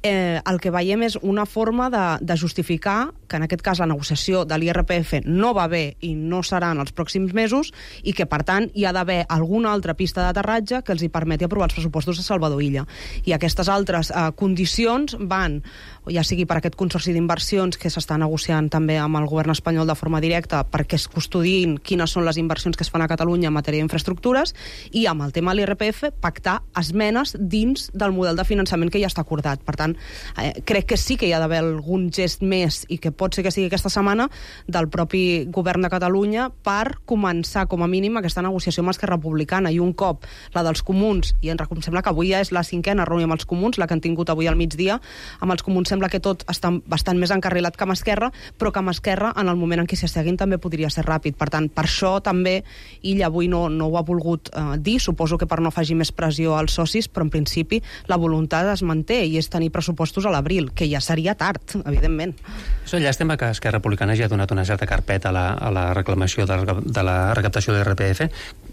eh, el que veiem és una forma de, de justificar que en aquest cas la negociació de l'I R P F no va bé i no serà en els pròxims mesos, i que, per tant, hi ha d'haver alguna altra pista d'aterratge que els hi permeti aprovar els pressupostos de Salvador Illa. I aquestes altres eh, condicions van, ja sigui per aquest consorci d'inversions que s'està negociant també amb el govern espanyol de forma directa perquè es custodin quines són les inversions que es fan a Catalunya en matèria d'infraestructures, i amb el tema de l'I R P F pactar esmenes dins del model de finançament que ja està acordat. Per tant, eh, crec que sí que hi ha d'haver algun gest més i que pot pot ser que sigui aquesta setmana, del propi govern de Catalunya per començar, com a mínim, aquesta negociació amb Esquerra Republicana. I un cop la dels comuns, i em sembla que avui ja és la cinquena reunió amb els comuns, la que han tingut avui al migdia, amb els comuns sembla que tot està bastant més encarrilat que amb Esquerra, però que amb Esquerra, en el moment en què s'asseguin, també podria ser ràpid. Per tant, per això també ell avui no, no ho ha volgut eh, dir, suposo que per no afegir més pressió als socis, però en principi la voluntat es manté i és tenir pressupostos a l'abril, que ja seria tard, evidentment. És una llàstima que Esquerra Republicana ja ha donat una certa carpeta a la, a la reclamació de, de la recaptació de l'I R P F.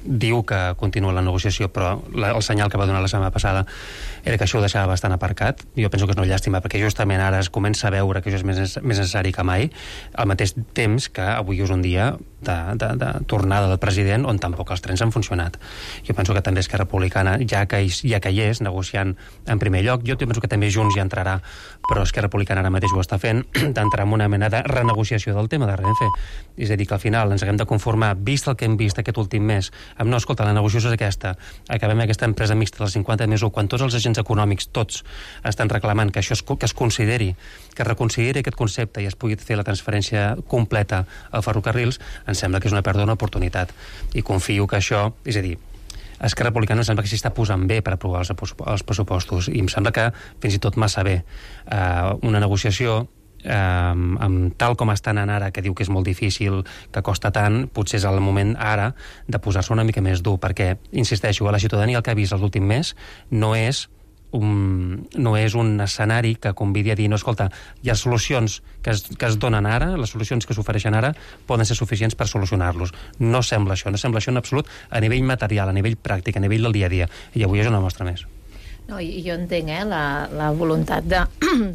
Diu que continua la negociació, però la, el senyal que va donar la setmana passada era que això ho deixava bastant aparcat. Jo penso que és una llàstima, perquè justament ara es comença a veure que això és més, més necessari que mai, al mateix temps que avui és un dia de, de, de tornada del president on tampoc els trens han funcionat. Jo penso que també Esquerra Republicana, ja que, ja que hi és, negociant en primer lloc, jo penso que també Junts hi entrarà, però Esquerra Republicana ara mateix ho està fent, d'entrar en una mena de renegociació del tema de Renfe. És a dir, que al final ens haguem de conformar, vist el que hem vist aquest últim mes, amb no, escolta, la negociació és aquesta, acabem aquesta empresa mixta dels cinquanta més u, quan tots els agents econòmics, tots, estan reclamant que això es, que es consideri, que es reconsideri aquest concepte i es pugui fer la transferència completa a ferrocarrils, em sembla que és una pèrdua d'oportunitat. I confio que això, és a dir, Esquerra Republicana em sembla que s'hi està posant bé per aprovar els, els pressupostos, i em sembla que fins i tot massa bé. Uh, una negociació eh, amb tal com estan anant ara, que diu que és molt difícil, que costa tant, potser és el moment ara de posar-se una mica més dur, perquè, insisteixo, a la ciutadania el que ha vist l'últim mes no és Un, no és un escenari que convidi a dir, no, escolta, hi ha solucions que es, que es donen ara, les solucions que s'ofereixen ara poden ser suficients per solucionar-los. No sembla això, no sembla això en absolut a nivell material, a nivell pràctic, a nivell del dia a dia. I avui és una mostra més. No, i jo entenc eh, la, la voluntat de,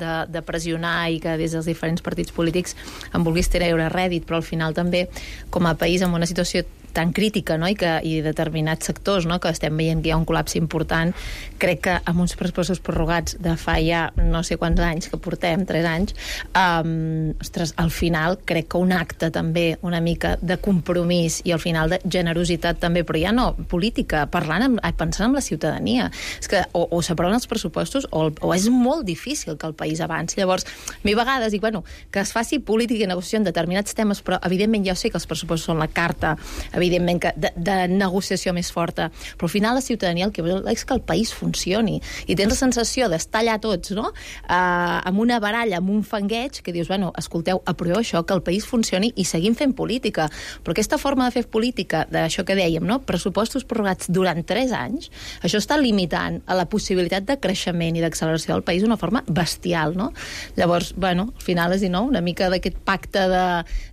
de, de pressionar i que des dels diferents partits polítics en vulguis treure rèdit, però al final també, com a país en una situació tan crítica, no? I, que, i determinats sectors, no? Que estem veient que hi ha un col·lapse important, crec que amb uns pressupostos prorrogats de fa ja no sé quants anys que portem, tres anys, um, ostres, al final crec que un acte també una mica de compromís i al final de generositat també, però ja no política, parlant amb, pensant en la ciutadania. És que o, o s'aproven els pressupostos o, o és molt difícil que el país avanci. Llavors, mi vegades dic, bueno, que es faci política i negociació en determinats temes, però evidentment ja sé que els pressupostos són la carta, evidentment que de, de negociació més forta, però al final la ciutadania el que vol és que el país funcioni, i tens la sensació d'estar allà tots, no? Uh, amb una baralla, amb un fangueig, que dius, bueno, escolteu, aproveu això, que el país funcioni i seguim fent política. Però aquesta forma de fer política, d'això que dèiem, no? Pressupostos prorrogats durant tres anys, això està limitant a la possibilitat de creixement i d'acceleració del país d'una forma bestial, no? Llavors, bueno, al final és dir, no? Una mica d'aquest pacte de,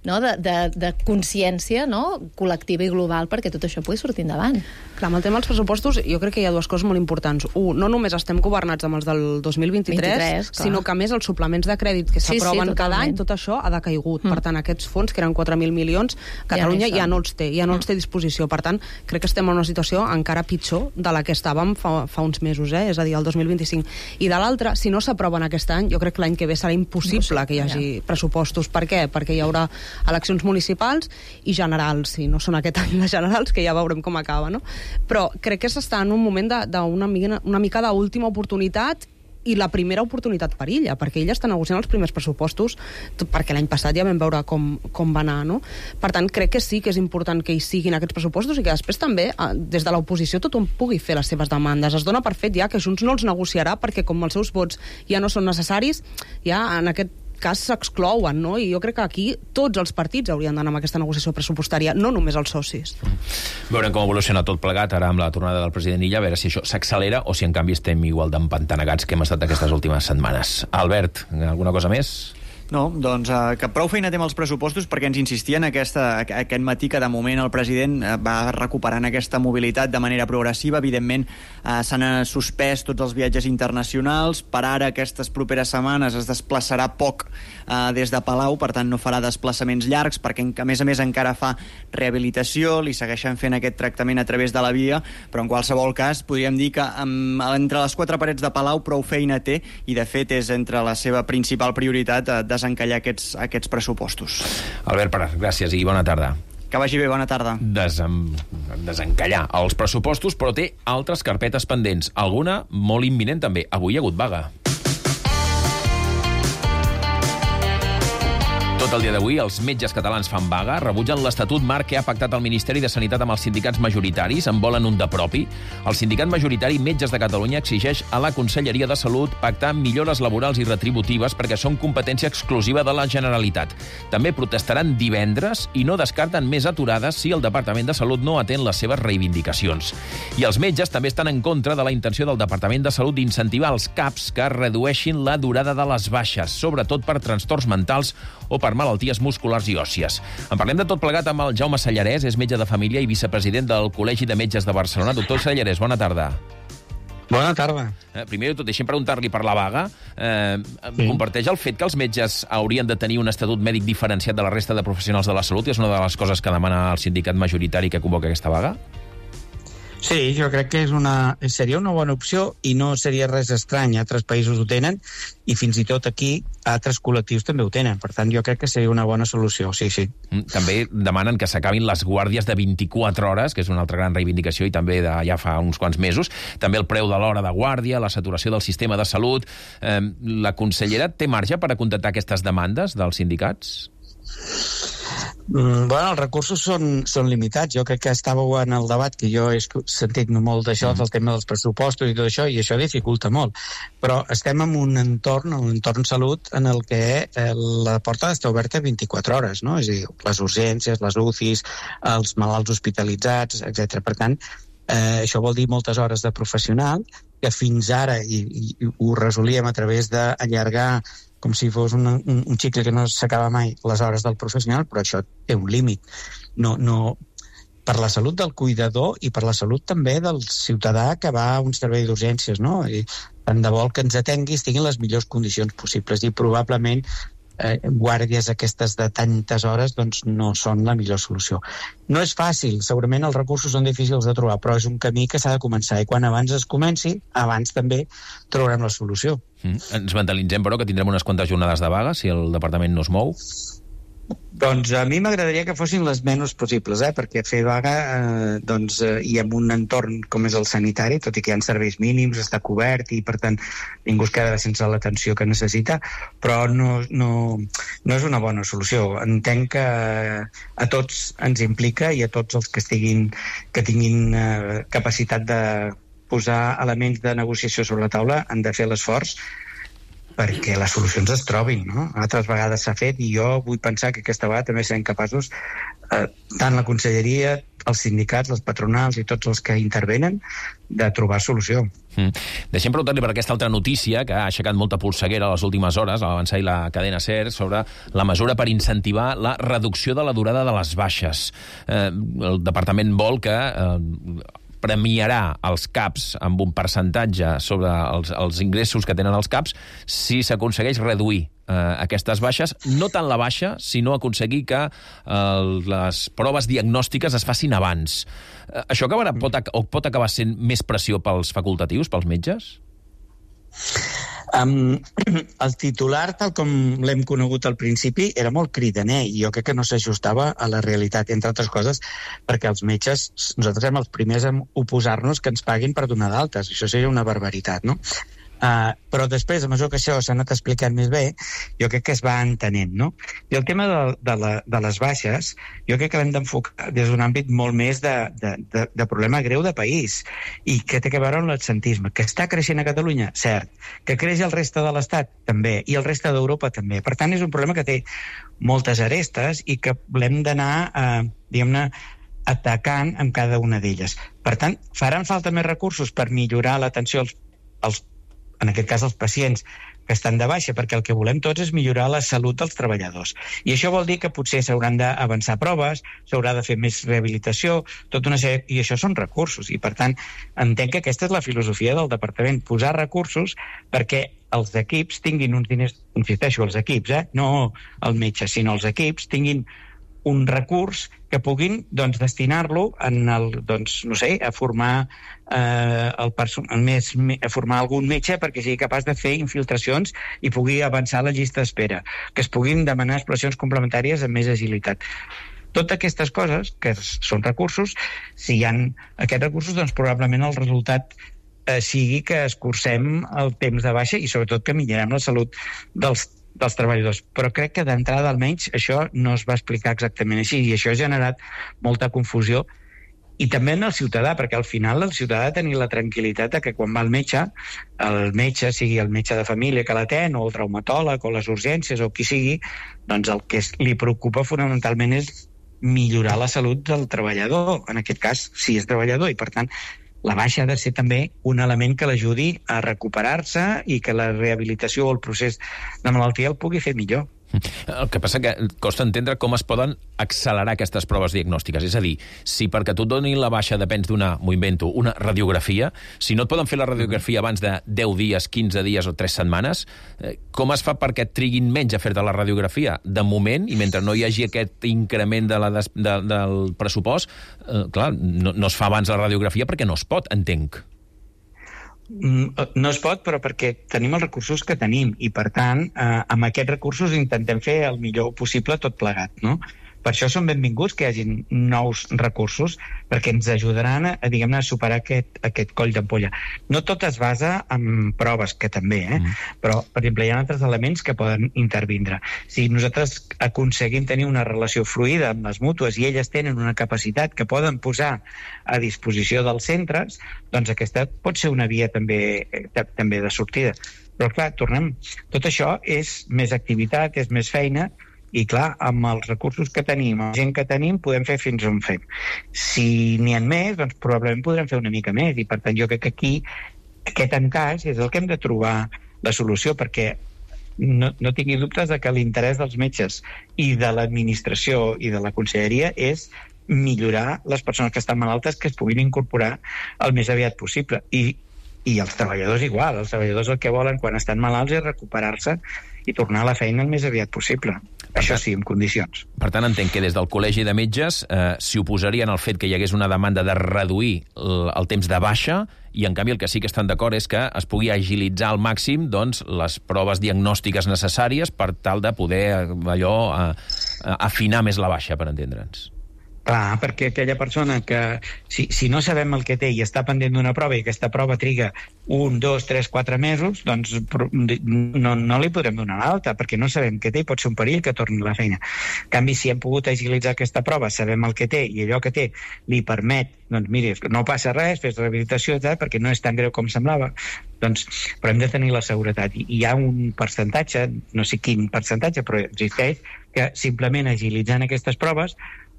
no? de, de, de consciència, no? Col·lectiva i global perquè tot això pugui sortir endavant. Clar, amb el tema dels pressupostos jo crec que hi ha dues coses molt importants. Un, no només estem governats amb els del dos mil vint-i-tres, vint-i-tres sinó que a més els suplements de crèdit que s'aproven sí, sí, cada any, tot això ha decaigut. Mm. Per tant, aquests fons, que eren quatre mil milions, Catalunya ja, ja no els té, ja no mm. els té a disposició. Per tant, crec que estem en una situació encara pitjor de la que estàvem fa, fa uns mesos, eh? És a dir, el dos mil vint-i-cinc. I de l'altra, si no s'aproven aquest any, jo crec que l'any que ve serà impossible no sé, que hi hagi ja. pressupostos. Per què? Perquè hi haurà eleccions municipals i generals, si no són aquest any les generals, que ja veurem com acaba, no? Però crec que s'està en un moment d'una mica, una mica d'última oportunitat i la primera oportunitat per ella, perquè ella està negociant els primers pressupostos, perquè l'any passat ja vam veure com, com va anar, no? Per tant, crec que sí que és important que hi siguin aquests pressupostos i que després també, des de l'oposició, tothom pugui fer les seves demandes. Es dona per fet ja que Junts no els negociarà perquè com els seus vots ja no són necessaris, ja en aquest cas s'exclouen, no? I jo crec que aquí tots els partits haurien d'anar amb aquesta negociació pressupostària, no només els socis. Veurem com evoluciona tot plegat ara amb la tornada del president Illa, a veure si això s'accelera o si en canvi estem igual d'empantanegats que hem estat aquestes últimes setmanes. Albert, alguna cosa més? No, doncs uh, que prou feina té amb els pressupostos perquè ens insistien aquesta, aquest matí que de moment el president uh, va recuperant aquesta mobilitat de manera progressiva. Evidentment uh, s'han suspès tots els viatges internacionals. Per ara, aquestes properes setmanes es desplaçarà poc uh, des de Palau, per tant no farà desplaçaments llargs perquè a més a més encara fa rehabilitació, li segueixen fent aquest tractament a través de la via, però en qualsevol cas podríem dir que um, entre les quatre parets de Palau prou feina té i de fet és entre la seva principal prioritat uh, desencallar aquests, aquests pressupostos. Albert Prat, gràcies i bona tarda. Que vagi bé, bona tarda. Desem... Desencallar els pressupostos, però té altres carpetes pendents. Alguna molt imminent també. Avui hi ha hagut vaga. Tot el dia d'avui, els metges catalans fan vaga, rebutgen l'Estatut Marc que ha pactat el Ministeri de Sanitat amb els sindicats majoritaris, en volen un de propi. El sindicat majoritari Metges de Catalunya exigeix a la Conselleria de Salut pactar millores laborals i retributives perquè són competència exclusiva de la Generalitat. També protestaran divendres i no descarten més aturades si el Departament de Salut no atén les seves reivindicacions. I els metges també estan en contra de la intenció del Departament de Salut d'incentivar els CAPs que redueixin la durada de les baixes, sobretot per trastorns mentals o per malalties musculars i òssies. En parlem de tot plegat amb el Jaume Sallarès, és metge de família i vicepresident del Col·legi de Metges de Barcelona. Doctor Sallarès, bona tarda. Bona tarda. Eh, primer de tot, deixem preguntar-li per la vaga. Eh, sí. Comparteix el fet que els metges haurien de tenir un estatut mèdic diferenciat de la resta de professionals de la salut? És una de les coses que demana el sindicat majoritari que convoca aquesta vaga? Sí, jo crec que és una, seria una bona opció i no seria res estrany. Altres països ho tenen i fins i tot aquí altres col·lectius també ho tenen. Per tant, jo crec que seria una bona solució, sí, sí. També demanen que s'acabin les guàrdies de vint-i-quatre hores, que és una altra gran reivindicació i també de, ja fa uns quants mesos. També el preu de l'hora de guàrdia, la saturació del sistema de salut. Eh, la consellera té marge per a contestar aquestes demandes dels sindicats? Mm, bueno, els recursos són, són limitats. Jo crec que estàveu en el debat, que jo he sentit molt d'això, del tema dels pressupostos i tot això, i això dificulta molt. Però estem en un entorn, un entorn salut, en el que eh, la porta està oberta vint-i-quatre hores, no? És a dir, les urgències, les U C Is, els malalts hospitalitzats, etcètera. Per tant, eh, això vol dir moltes hores de professional, que fins ara, i, i ho resolíem a través d'allargar com si fos un, un, un xicle que no s'acaba mai, les hores del professional, però això té un límit. No, no, per la salut del cuidador i per la salut també del ciutadà que va a un servei d'urgències, no? I tant de vol que ens atengui estiguin en les millors condicions possibles i probablement eh, guàrdies aquestes de tantes hores doncs no són la millor solució. No és fàcil, segurament els recursos són difícils de trobar, però és un camí que s'ha de començar i quan abans es comenci, abans també trobarem la solució. Mm. Ens mentalitzem, però, que tindrem unes quantes jornades de vaga si el departament no es mou? Doncs a mi m'agradaria que fossin les menys possibles, eh? Perquè fer vaga eh, doncs, eh, i en un entorn com és el sanitari, tot i que hi ha serveis mínims, està cobert i per tant ningú es queda sense l'atenció que necessita, però no, no, no és una bona solució. Entenc que a tots ens implica i a tots els que, estiguin, que tinguin eh, capacitat de posar elements de negociació sobre la taula han de fer l'esforç perquè les solucions es trobin, no? Altres vegades s'ha fet i jo vull pensar que aquesta vegada també serem capaços, eh, tant la conselleria, els sindicats, les patronals i tots els que intervenen, de trobar solució. Mm. Deixem preguntar-li per aquesta altra notícia que ha aixecat molta polseguera a les últimes hores, a l'avançar i la cadena SER, sobre la mesura per incentivar la reducció de la durada de les baixes. Eh, el departament vol que Eh, premiarà els CAPs amb un percentatge sobre els, els ingressos que tenen els CAPs si s'aconsegueix reduir eh, aquestes baixes, no tant la baixa, sinó aconseguir que eh, les proves diagnòstiques es facin abans. Eh, això acabarà, pot, o pot acabar sent més pressió pels facultatius, pels metges? Um, el titular, tal com l'hem conegut al principi, era molt cridaner i jo crec que no s'ajustava a la realitat, entre altres coses, perquè els metges, nosaltres som els primers a oposar-nos que ens paguin per donar d'altes. Això seria una barbaritat, no? Uh, però després, a mesura que això s'ha anat explicant més bé, jo crec que es va entenent, no? I el tema de, de, la, de les baixes, jo crec que l'hem d'enfocar des d'un àmbit molt més de, de, de, de problema greu de país i que té a veure amb l'absentisme, que està creixent a Catalunya, cert, que creix al reste de l'Estat, també, i el reste d'Europa, també. Per tant, és un problema que té moltes arestes i que l'hem d'anar, eh, diguem-ne, atacant amb cada una d'elles. Per tant, faran falta més recursos per millorar l'atenció als, als en aquest cas els pacients que estan de baixa, perquè el que volem tots és millorar la salut dels treballadors. I això vol dir que potser s'hauran d'avançar proves, s'haurà de fer més rehabilitació, tota una sèrie, i això són recursos. I per tant, entenc que aquesta és la filosofia del departament, posar recursos perquè els equips tinguin uns diners, insisteixo, els equips, eh? No el metge, sinó els equips tinguin un recurs que puguin doncs, destinar-lo en el, doncs, no sé, a formar eh, el personal més, a formar algun metge perquè sigui capaç de fer infiltracions i pugui avançar la llista d'espera, que es puguin demanar exploracions complementàries amb més agilitat. Totes aquestes coses, que són recursos, si hi ha aquests recursos, doncs probablement el resultat eh, sigui que escurcem el temps de baixa i sobretot que millorem la salut dels dels treballadors. Però crec que d'entrada, almenys, això no es va explicar exactament així, i això ha generat molta confusió, i també en el ciutadà, perquè al final el ciutadà ha de tenir la tranquil·litat de que quan va al metge, el metge, sigui el metge de família que l'atén, o el traumatòleg, o les urgències, o qui sigui, doncs el que li preocupa fonamentalment és millorar la salut del treballador, en aquest cas, si és treballador, i per tant, la baixa ha de ser també un element que l'ajudi a recuperar-se i que la rehabilitació o el procés de malaltia el pugui fer millor. El que passa que costa entendre com es poden accelerar aquestes proves diagnòstiques. És a dir, si perquè tu et donin la baixa depens d'una, m'ho invento, una radiografia, si no et poden fer la radiografia abans de deu dies, quinze dies o tres setmanes, com es fa perquè et triguin menys a fer-te la radiografia? De moment, i mentre no hi hagi aquest increment de la des, de, del pressupost, eh, clar, no, no es fa abans la radiografia perquè no es pot, entenc. No es pot, però perquè tenim els recursos que tenim i, per tant, eh, amb aquests recursos intentem fer el millor possible tot plegat, no? Per això són benvinguts que hi hagin nous recursos, perquè ens ajudaran a, a diguem-ne, a superar aquest, aquest coll d'ampolla. No tot es basa en proves, que també, eh? Mm. Però, per exemple, hi ha altres elements que poden intervindre. Si nosaltres aconseguim tenir una relació fluida amb les mútues i elles tenen una capacitat que poden posar a disposició dels centres, doncs aquesta pot ser una via també, també de sortida. Però, clar, tornem, tot això és més activitat, és més feina, i clar, amb els recursos que tenim, amb la gent que tenim, podem fer fins on fem. Si n'hi ha més, doncs probablement podrem fer una mica més, i per tant jo crec que aquí aquest encaix és el que hem de trobar la solució, perquè no, no tingui dubtes de que l'interès dels metges i de l'administració i de la conselleria és millorar les persones que estan malaltes, que es puguin incorporar el més aviat possible. I, i els treballadors igual, els treballadors el que volen quan estan malalts és recuperar-se i tornar a la feina el més aviat possible. Per Això tant, sí, en condicions. Per tant, entenc que des del Col·legi de Metges eh, s'hi oposarien al fet que hi hagués una demanda de reduir el, el temps de baixa, i en canvi el que sí que estan d'acord és que es pugui agilitzar al màxim doncs, les proves diagnòstiques necessàries per tal de poder allò eh, afinar més la baixa, per entendre'ns. Clar, perquè aquella persona que, si, si no sabem el que té i està pendent d'una prova i aquesta prova triga un, dos, tres, quatre mesos, doncs no, no li podrem donar l'alta, perquè no sabem què té i pot ser un perill que torni a la feina. En canvi, si hem pogut agilitzar aquesta prova, sabem el que té i allò que té li permet, doncs miri, no passa res, fes rehabilitació, tal, perquè no és tan greu com semblava, doncs, però hem de tenir la seguretat. I hi ha un percentatge, no sé quin percentatge, però existeix, que simplement agilitzant aquestes proves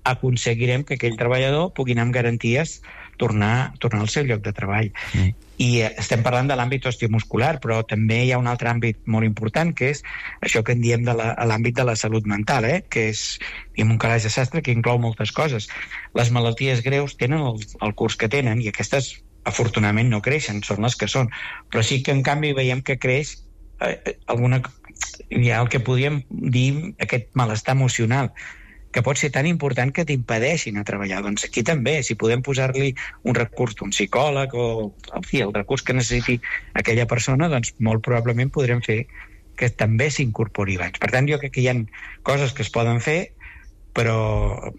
aconseguirem que aquell treballador pugui anar amb garanties tornar, tornar al seu lloc de treball. Mm. I eh, estem parlant de l'àmbit osteomuscular, però també hi ha un altre àmbit molt important, que és això que en diem de la, l'àmbit de la salut mental, eh? Que és diguem, un calaix de sastre que inclou moltes coses. Les malalties greus tenen el, el curs que tenen, i aquestes afortunadament no creixen, són les que són, però sí que en canvi veiem que creix eh, alguna, hi ha el que podríem dir aquest malestar emocional, que pot ser tan important que t'impedeixin a treballar. Doncs aquí també, si podem posar-li un recurs d'un psicòleg o en fi, el recurs que necessiti aquella persona, doncs molt probablement podrem fer que també s'incorpori abans. Per tant, jo crec que hi ha coses que es poden fer, però,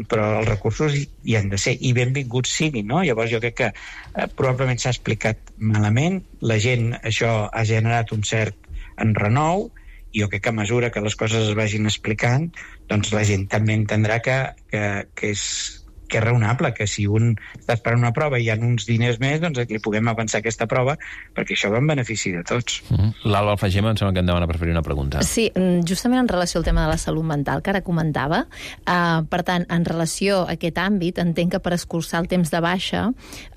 però els recursos hi han de ser, i benvinguts siguin, no? Llavors jo crec que eh, probablement s'ha explicat malament, la gent, això ha generat un cert enrenou, i jo crec que a mesura que les coses es vagin explicant, doncs la gent també entendrà que, que, que, és, que és raonable, que si un està esperant una prova i hi ha uns diners més, doncs li puguem avançar aquesta prova, perquè això va en benefici de tots. Mm-hmm. L'Alba Alfagema em sembla que em demana per fer una pregunta. Sí, justament en relació al tema de la salut mental, que ara comentava, uh, per tant, en relació a aquest àmbit, entenc que per escurçar el temps de baixa,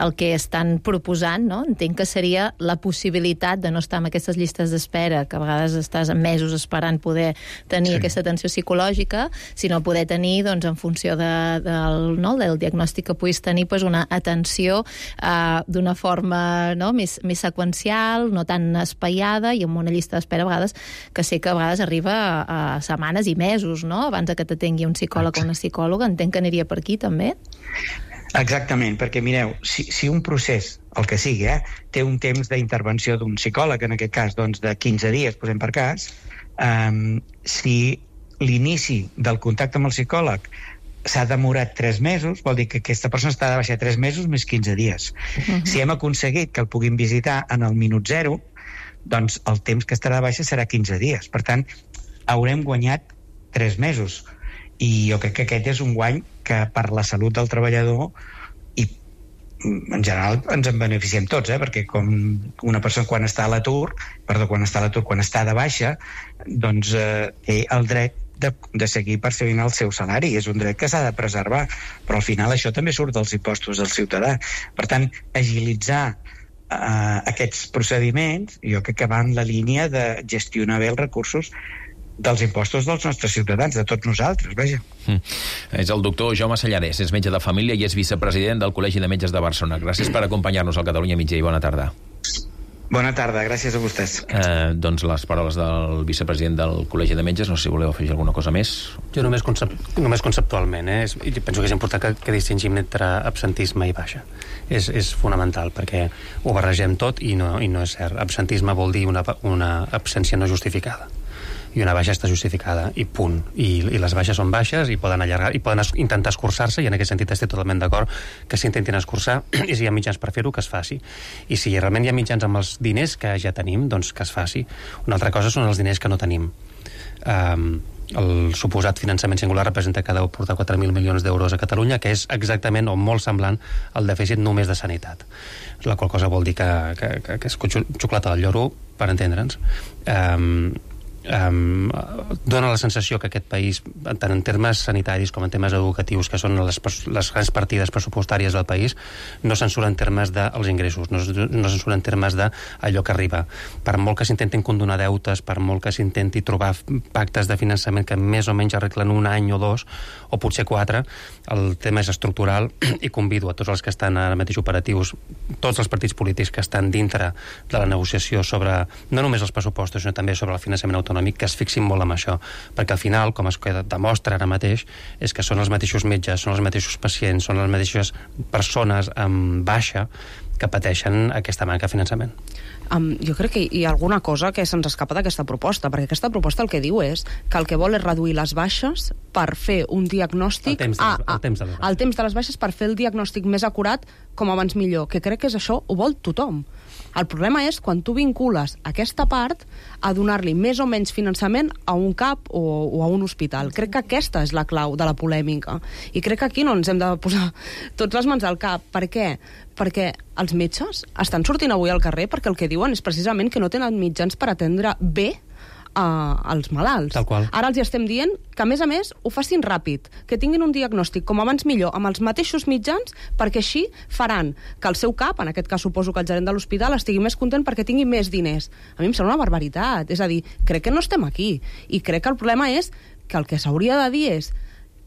el que estan proposant, no? Entenc que seria la possibilitat de no estar en aquestes llistes d'espera, que a vegades estàs mesos esperant poder tenir sí. aquesta atenció psicològica, sinó poder tenir, doncs, en funció de, del, no? del diagnòstic que puguis tenir, pues, una atenció eh, d'una forma, no? més, més seqüencial, no tan espaiada, i amb una llista d'espera a vegades que sé que a vegades arriba a, a setmanes i mesos, no? Abans que t'atengui un psicòleg o una psicòloga. Entenc que aniria per aquí també? Exactament, perquè mireu, si, si un procés, el que sigui, eh, té un temps d'intervenció d'un psicòleg, en aquest cas doncs, de quinze dies, posem per cas, eh, si l'inici del contacte amb el psicòleg s'ha demorat tres mesos, vol dir que aquesta persona està de baixa tres mesos més quinze dies. Uh-huh. Si hem aconseguit que el puguin visitar en el minut zero, doncs el temps que estarà de baixa serà quinze dies. Per tant, haurem guanyat tres mesos. I jo crec que aquest és un guany que per la salut del treballador i en general ens en beneficiem tots, eh? Perquè com una persona quan està a l'atur, perdó, quan està a l'atur, quan està de baixa, doncs eh, té el dret de, de seguir percebint el seu salari. És un dret que s'ha de preservar, però al final això també surt dels impostos del ciutadà. Per tant, agilitzar eh, aquests procediments jo crec que va en la línia de gestionar bé els recursos dels impostos dels nostres ciutadans, de tots nosaltres, vaja. Mm. És el doctor Jaume Salladés, és metge de família i és vicepresident del Col·legi de Metges de Barcelona. Gràcies per acompanyar-nos al Catalunya Migdia i bona tarda. Bona tarda, gràcies a vostès. Eh, doncs les paraules del vicepresident del Col·legi de Metges, no sé si voleu afegir alguna cosa més. Jo només, concep només conceptualment, eh? I penso que és important que, que distingim entre absentisme i baixa. És, és fonamental, perquè ho barregem tot i no, i no és cert. Absentisme vol dir una, una absència no justificada. I una baixa està justificada, i punt. I, i les baixes són baixes i poden allargar, i poden es, intentar escurçar-se, i en aquest sentit estic totalment d'acord que s'intentin escurçar, i si hi ha mitjans per fer-ho, que es faci. I si realment hi ha mitjans amb els diners que ja tenim, doncs que es faci. Una altra cosa són els diners que no tenim. Um, el suposat finançament singular representa que ha de portar quatre mil milions d'euros a Catalunya, que és exactament o molt semblant al dèficit només de sanitat. La qual cosa vol dir que, que, que, que és xocolata del lloro, per entendre'ns. Um, Um, dona la sensació que aquest país, tant en termes sanitaris com en termes educatius, que són les, les grans partides pressupostàries del país, no se'n surt en termes dels ingressos, no, no se'n surt en termes d'allò que arriba. Per molt que s'intentin condonar deutes, per molt que s'intenti trobar pactes de finançament que més o menys arreglen un any o dos, o potser quatre, el tema és estructural, i convido a tots els que estan ara mateix operatius, tots els partits polítics que estan dintre de la negociació sobre, no només els pressupostos, sinó també sobre el finançament autonòmic, que es fixin molt en això, perquè al final, com es demostra ara mateix, és que són els mateixos metges, són els mateixos pacients, són les mateixes persones amb baixa que pateixen aquesta manca de finançament. Um, jo crec que hi ha alguna cosa que se'ns escapa d'aquesta proposta, perquè aquesta proposta el que diu és que el que vol és reduir les baixes per fer un diagnòstic... El temps de les, el temps de les baixes. El temps de les baixes per fer el diagnòstic més acurat com abans millor, que crec que és això, ho vol tothom. El problema és quan tu vincules aquesta part a donar-li més o menys finançament a un CAP o, o a un hospital. Crec que aquesta és la clau de la polèmica. I crec que aquí no ens hem de posar tots les mans al cap. Per què? Perquè els metges estan sortint avui al carrer perquè el que diuen és precisament que no tenen mitjans per atendre bé Uh, als malalts. Tal qual. Ara els hi estem dient que, a més a més, ho facin ràpid, que tinguin un diagnòstic com abans millor, amb els mateixos mitjans, perquè així faran que el seu cap, en aquest cas suposo que el gerent de l'hospital, estigui més content perquè tingui més diners. A mi em sembla una barbaritat. És a dir, crec que no estem aquí. I crec que el problema és que el que s'hauria de dir és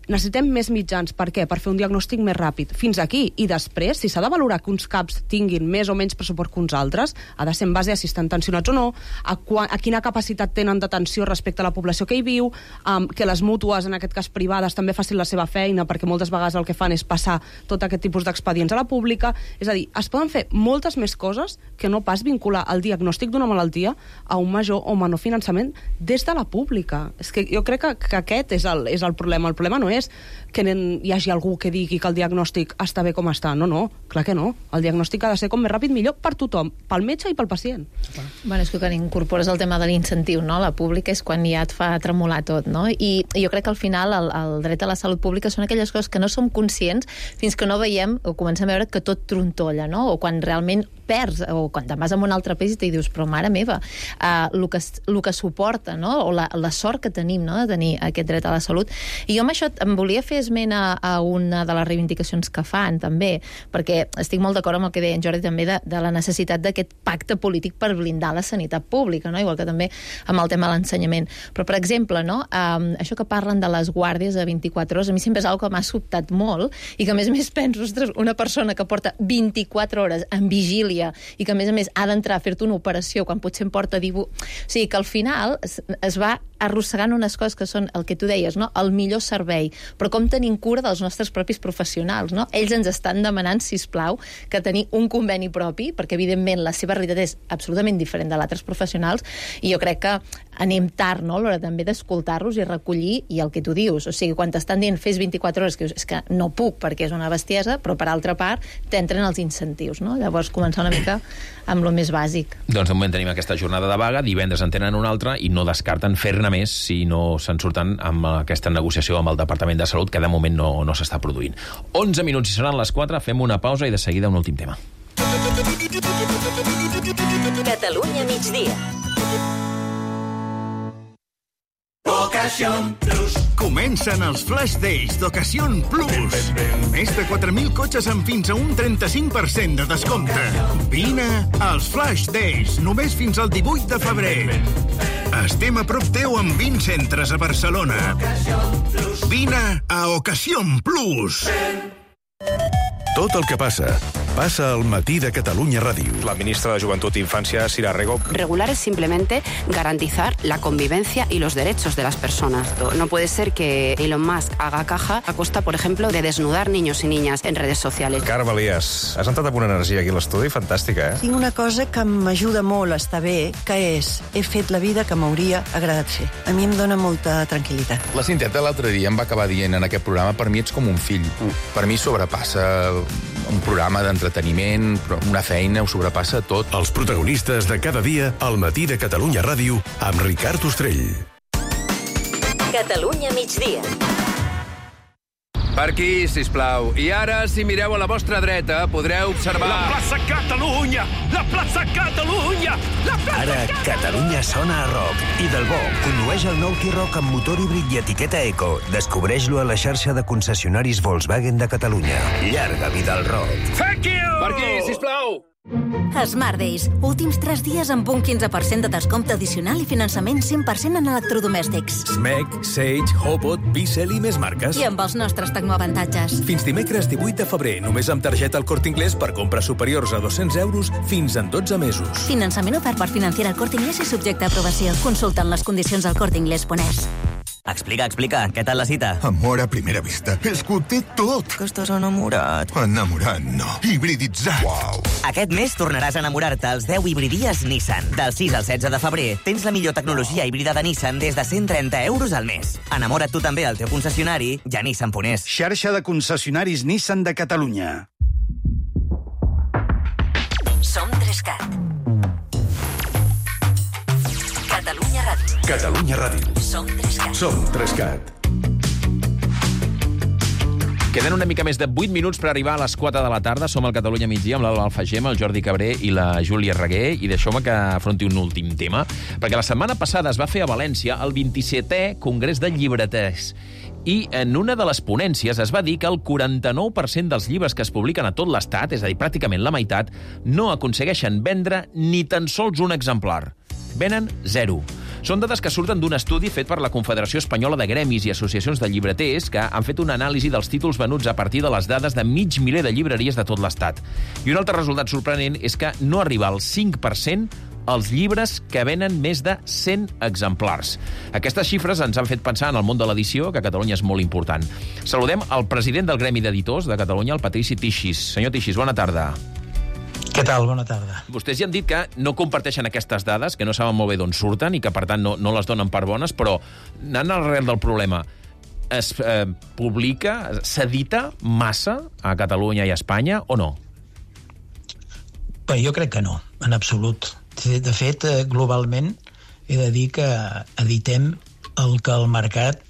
necessitem més mitjans. Per què? Per fer un diagnòstic més ràpid. Fins aquí. I després, si s'ha de valorar que uns CAPs tinguin més o menys pressupost que uns altres, ha de ser en base a si estan tensionats o no, a, qua, a quina capacitat tenen d'atenció respecte a la població que hi viu, um, que les mútues, en aquest cas privades, també facin la seva feina, perquè moltes vegades el que fan és passar tot aquest tipus d'expedients a la pública. És a dir, es poden fer moltes més coses que no pas vincular el diagnòstic d'una malaltia a un major o menor finançament des de la pública. És que jo crec que, que aquest és el, és el problema. El problema no és que hi hagi algú que digui que el diagnòstic està bé com està. No, no, clar que no. El diagnòstic ha de ser com més ràpid millor per tothom, pel metge i pel pacient. Bueno, és que quan incorpores el tema de l'incentiu, no? La pública és quan ja et fa tremolar tot, no? I, i jo crec que al final el, el dret a la salut pública són aquelles coses que no som conscients fins que no veiem o comencem a veure que tot trontolla, no? O quan realment perds, o quan te'n vas a un altre país i t'hi dius, però mare meva, uh, el, que, el que suporta, no? O la, la sort que tenim, no?, de tenir aquest dret a la salut. I jo amb això em volia fer esment a, a una de les reivindicacions que fan, també, perquè estic molt d'acord amb el que deia en Jordi també de, de la necessitat d'aquest pacte polític per blindar la sanitat pública, no? Igual que també amb el tema de l'ensenyament. Però, per exemple, no? Um, això que parlen de les guàrdies de vint-i-quatre hores, a mi sempre és una cosa que m'ha sobtat molt i que, a més a més, penso, ostres, una persona que porta vint-i-quatre hores en vigília i que, a més a més, ha d'entrar a fer-te una operació quan potser em porta divuit... O sigui, que al final es, es va arrossegant unes coses que són el que tu deies, no? El millor servei, però com tenim cura dels nostres propis professionals, no? Ells ens estan demanant, sisplau, que tenir un conveni propi, perquè evidentment la seva realitat és absolutament diferent de l'altres professionals, i jo crec que anem tard, no?, a l'hora també d'escoltar-los i recollir, i el que tu dius, o sigui, quan t'estan dient fes vint-i-quatre hores, que és que no puc perquè és una bestiesa, però per altra part t'entren els incentius, no? Llavors començar una mica amb lo més bàsic. Doncs de moment tenim aquesta jornada de vaga, divendres en tenen una altra i no descarten fer-ne més si no se'n surten amb aquesta negociació amb el Departament de Salut, que de moment no, no s'està produint. onze minuts i seran les quatre, fem una pausa i de seguida un últim tema. Catalunya migdia. Ocasión Plus. Comencen els Flash Days d'Ocasión Plus. Més de quatre mil cotxes amb fins a un trenta-cinc per cent de descompte. Vine als Flash Days, només fins al divuit de febrer. Estem a prop teu amb vint centres a Barcelona. Vine a Ocasión Plus. Tot el que passa, pasa al matí de Catalunya Ràdio. La ministra de Juventud e Infancia, Sira Rego. Regular es simplemente garantizar la convivencia y los derechos de las personas. No puede ser que Elon Musk haga caja a costa, por ejemplo, de desnudar niños y niñas en redes sociales. Carme Elias, has entrat amb una energia aquí a l'estudi fantàstica, eh? Tinc una cosa que m'ajuda molt a estar bé, que és, he fet la vida que m'hauria agradat fer. A mi em dóna molta tranquil·litat. La Cinteta l'altre dia em va acabar dient en aquest programa, per mi ets com un fill. Per mi sobrepassa un programa d'entreteniment, una feina, ho sobrepassa tot. Els protagonistes de cada dia al matí de Catalunya Ràdio amb Ricard Ostrell. Catalunya migdia. Per aquí, sisplau. I ara, si mireu a la vostra dreta, podreu observar... La plaça Catalunya! La plaça Catalunya! La plaça Ara, Catalunya sona a rock. I del bo, condueix el nou T-Roc amb motor híbrid i etiqueta Eco. Descobreix-lo a la xarxa de concessionaris Volkswagen de Catalunya. Llarga vida al rock. Thank you! Per aquí, sisplau! Smart Days. Últims tres dies amb un quinze per cent de descompte addicional i finançament cent per cent en electrodomèstics. Smeg, Sage, Hobot, Bissell i més marques. I amb els nostres tecnoavantatges. Fins dimecres divuit de febrer, només amb targeta El Corte Inglés per compres superiors a dos-cents euros fins en dotze mesos. Finançament ofert per Financiera El Corte Inglés i subjecte a aprovació. Consulta les condicions al corte inglés punt es. Explica, explica. Què tal la cita? Amor a primera vista. És que ho té tot. Que estàs enamorat. Enamorat, no. Hibriditzat. Uau. Aquest mes tornaràs a enamorar-te als deu hibridies Nissan. Del sis al setze de febrer tens la millor tecnologia híbrida de Nissan des de cent trenta euros al mes. Enamora't tu també al teu concessionari i a Nissan punt es. Xarxa de concessionaris Nissan de Catalunya. Som Trescat. Catalunya Ràdio. Catalunya Ràdio. Som Trescat. Som Trescat. Queden una mica més de vuit minuts per arribar a les quatre de la tarda. Som al Catalunya migdia amb l'Alba Alfagem, el Jordi Cabré i la Júlia Reguer. I deixeu-me que afronti un últim tema, perquè la setmana passada es va fer a València el vint-i-setè Congrés de Llibreters. I en una de les ponències es va dir que el quaranta-nou per cent dels llibres que es publiquen a tot l'Estat, és a dir, pràcticament la meitat, no aconsegueixen vendre ni tan sols un exemplar. Venen zero. Són dades que surten d'un estudi fet per la Confederació Espanyola de Gremis i Associacions de Llibreters, que han fet una anàlisi dels títols venuts a partir de les dades de mig miler de llibreries de tot l'Estat. I un altre resultat sorprenent és que no arriba al cinc per cent els llibres que venen més de cent exemplars. Aquestes xifres ens han fet pensar en el món de l'edició, que a Catalunya és molt important. Saludem el president del Gremi d'Editors de Catalunya, el Patrici Tixis. Senyor Tixis, bona tarda. Què tal? Bona tarda. Vostès ja han dit que no comparteixen aquestes dades, que no saben molt bé d'on surten i que, per tant, no, no les donen per bones, però anant al arrel del problema, es eh, publica, s'edita massa a Catalunya i a Espanya o no? Bé, jo crec que no, en absolut. De fet, globalment, he de dir que editem el que el mercat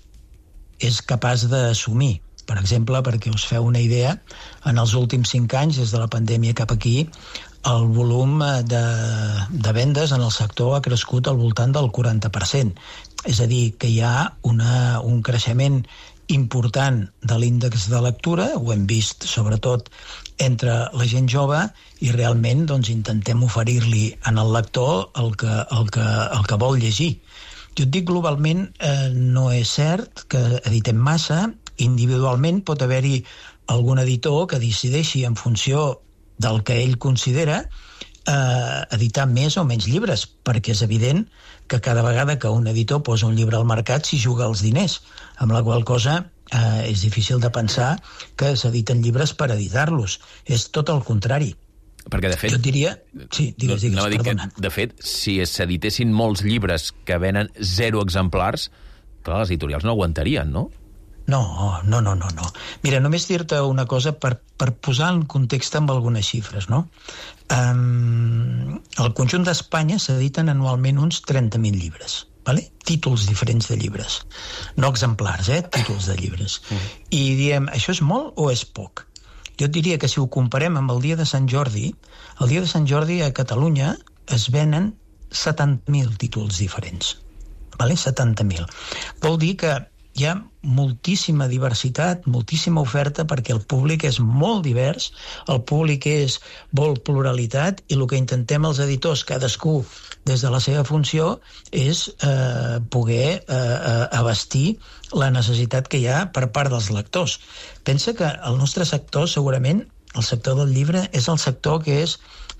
és capaç d'assumir. Per exemple, perquè us feu una idea, en els últims cinc anys, des de la pandèmia cap aquí, el volum de, de vendes en el sector ha crescut al voltant del quaranta per cent. És a dir, que hi ha una, un creixement important de l'índex de lectura, ho hem vist sobretot entre la gent jove, i realment doncs, intentem oferir-li en el lector el que, el que, el que vol llegir. Jo et dic, globalment eh, no és cert que editem massa. Individualment pot haver-hi algun editor que decideixi en funció del que ell considera eh, editar més o menys llibres, perquè és evident que cada vegada que un editor posa un llibre al mercat s'hi juga els diners, amb la qual cosa eh, és difícil de pensar que s'editen llibres per editar-los. És tot el contrari. Perquè, de fet... Jo et diria... Sí, digues, digues, no, perdona. Que, de fet, si s'editessin molts llibres que venen zero exemplars, clar, les editorials no aguantarien, no? No, no, no, no, no. Mira, només dir-te una cosa per, per posar en context amb algunes xifres, no? Um, al conjunt d'Espanya s'editen anualment uns trenta mil llibres, vale? Títols diferents de llibres. No exemplars, eh? Títols de llibres. Mm. I diem, això és molt o és poc? Jo et diria que si ho comparem amb el dia de Sant Jordi, el dia de Sant Jordi a Catalunya es venen setanta mil títols diferents. Vale? setanta mil. Vol dir que hi ha moltíssima diversitat, moltíssima oferta, perquè el públic és molt divers, el públic és vol pluralitat, i el que intentem els editors, cadascú des de la seva funció, és eh, poder eh, abastir la necessitat que hi ha per part dels lectors. Pensa que el nostre sector, segurament, el sector del llibre, és el sector que és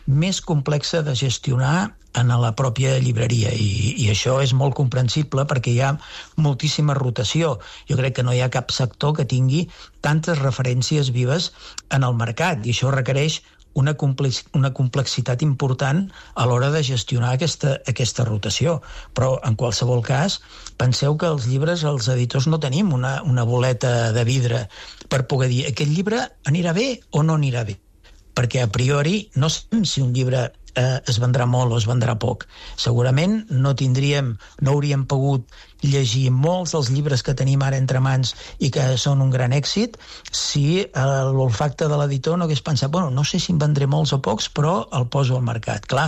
més complexa de gestionar en la pròpia llibreria, i, i això és molt comprensible perquè hi ha moltíssima rotació. Jo crec que no hi ha cap sector que tingui tantes referències vives en el mercat, i això requereix una, complex, una complexitat important a l'hora de gestionar aquesta, aquesta rotació. Però, en qualsevol cas, penseu que els llibres, els editors, no tenim una, una boleta de vidre per poder dir aquest llibre anirà bé o no anirà bé, perquè a priori no sabem si un llibre eh, es vendrà molt o es vendrà poc. Segurament no tindríem, no hauríem pogut llegir molts dels llibres que tenim ara entre mans i que són un gran èxit si eh, l'olfacte de l'editor no hagués pensat, bueno, no sé si en vendré molts o pocs, però el poso al mercat. Clar,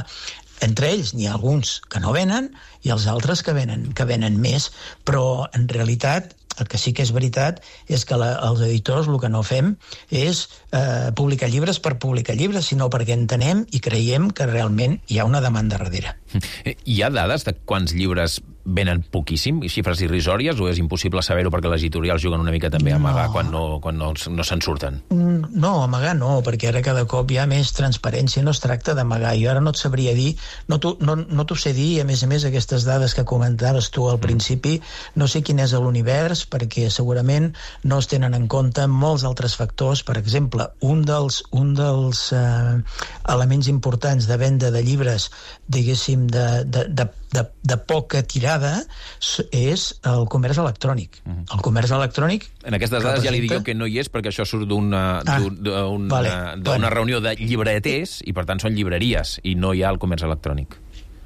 entre ells n'hi ha alguns que no venen i els altres que venen, que venen més, però en realitat el que sí que és veritat és que la, els editors el que no fem és eh, publicar llibres per publicar llibres, sinó perquè entenem i creiem que realment hi ha una demanda darrere. Hi ha dades de quants llibres venen poquíssim, xifres irrisòries, o és impossible saber-ho perquè les editorials juguen una mica també a amagar no. quan no, quan no, no se'n surten? No, amagar no, perquè ara cada cop hi ha més transparència, no es tracta d'amagar. Jo ara no et sabria dir, no t'ho no, no sé dir, a més a més aquestes dades que comentaves tu al principi, no sé quin és l'univers, perquè segurament no es tenen en compte molts altres factors. Per exemple, un dels, un dels eh, elements importants de venda de llibres, diguéssim, de, de, de, de, de poca tirada, és el comerç electrònic. Uh-huh. El comerç electrònic... En aquestes dades representa... ja li dic jo que no hi és, perquè això surt d'una ah, un, vale. bueno. reunió de llibreters, i per tant són llibreries, i no hi ha el comerç electrònic.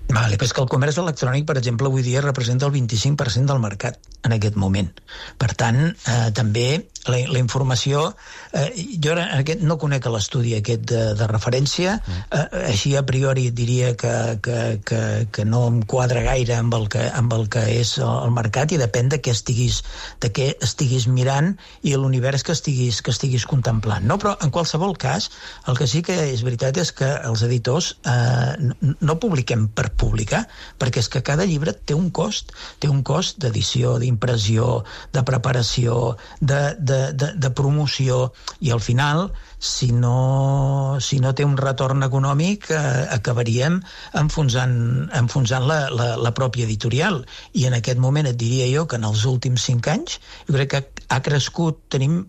Vale, però és que el comerç electrònic, per exemple, avui dia representa el vint-i-cinc per cent del mercat en aquest moment. Per tant, eh, també la, la informació... Eh, jo ara aquest, no conec l'estudi aquest de, de referència, eh, així a priori diria que, que, que, que no em quadra gaire amb el que, amb el que és el mercat, i depèn de què estiguis, de què estiguis mirant i l'univers que estiguis, que estiguis contemplant. No? Però, en qualsevol cas, el que sí que és veritat és que els editors eh, no, no publiquem per publicar, perquè és que cada llibre té un cost, té un cost d'edició, d'impressió, de preparació, de, de, de, de promoció, i al final, si no, si no té un retorn econòmic, eh, acabaríem enfonsant, enfonsant la, la, la pròpia editorial. I en aquest moment et diria jo que en els últims cinc anys, jo crec que ha crescut, tenim...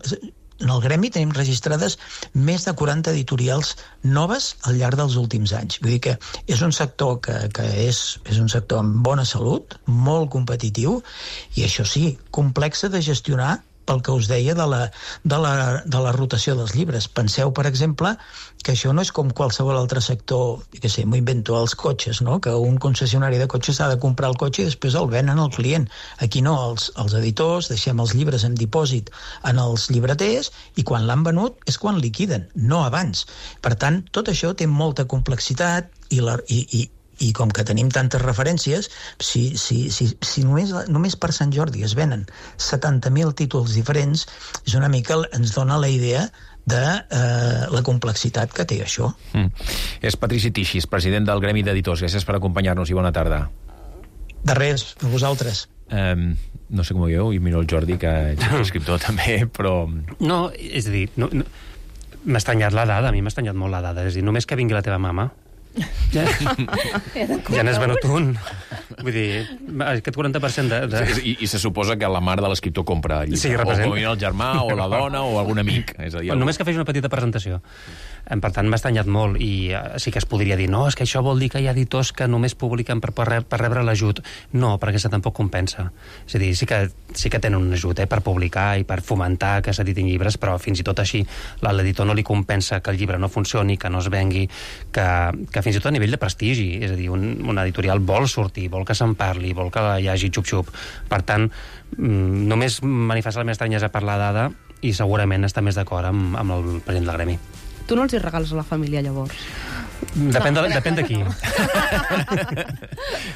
En el gremi tenim registrades més de quaranta editorials noves al llarg dels últims anys. Vull dir que és un sector que, que és, és un sector amb bona salut, molt competitiu, i això sí, complexa de gestionar pel que us deia de la, de la, de la rotació dels llibres. Penseu, per exemple, que això no és com qualsevol altre sector, que sé, m'ho invento, els cotxes, no? Que un concessionari de cotxes ha de comprar el cotxe i després el venen al client. Aquí no, els, els editors deixem els llibres en dipòsit en els llibreters, i quan l'han venut és quan liquiden, no abans. Per tant, tot això té molta complexitat, i, la, i, i i com que tenim tantes referències, si, si, si, si només, només per Sant Jordi es venen setanta mil títols diferents, és una mica, ens dona la idea de eh, la complexitat que té això. Mm. És Patrici Tixis, president del Gremi d'Editors. Gràcies per acompanyar-nos i bona tarda. De res, a vosaltres. Um, no sé com ho veieu, i miro el Jordi, que és escriptor també, però... No, és a dir, no, no, m'ha estranyat la dada, a mi m'ha estranyat molt la dada. És a dir, només que vingui la teva mama, Ja, ja n'és venut un. Vull dir, aquest quaranta per cent de... de... I, I se suposa que la mare de l'escriptor compra el llibre. Sí, represent... o el germà, o la dona, o algun amic. És a dir, només que fes una petita presentació. Per tant, m'ha estranyat molt, i sí que es podria dir, no, és que això vol dir que hi ha editors que només publiquen per, per, per rebre l'ajut. No, perquè això tampoc compensa. És a dir, sí que, sí que tenen un ajut eh, per publicar i per fomentar que s'editin llibres, però fins i tot així l'editor no li compensa que el llibre no funcioni, que no es vengui, que, que fins i tot a nivell de prestigi, és a dir, un, una editorial vol sortir, vol que se'n parli, vol que hi hagi xup-xup. Per tant, només manifesta la meva estranyesa per la dada i segurament està més d'acord amb, amb el president del gremi. Tu no els hi regales a la família, llavors? Depèn de, depèn de qui.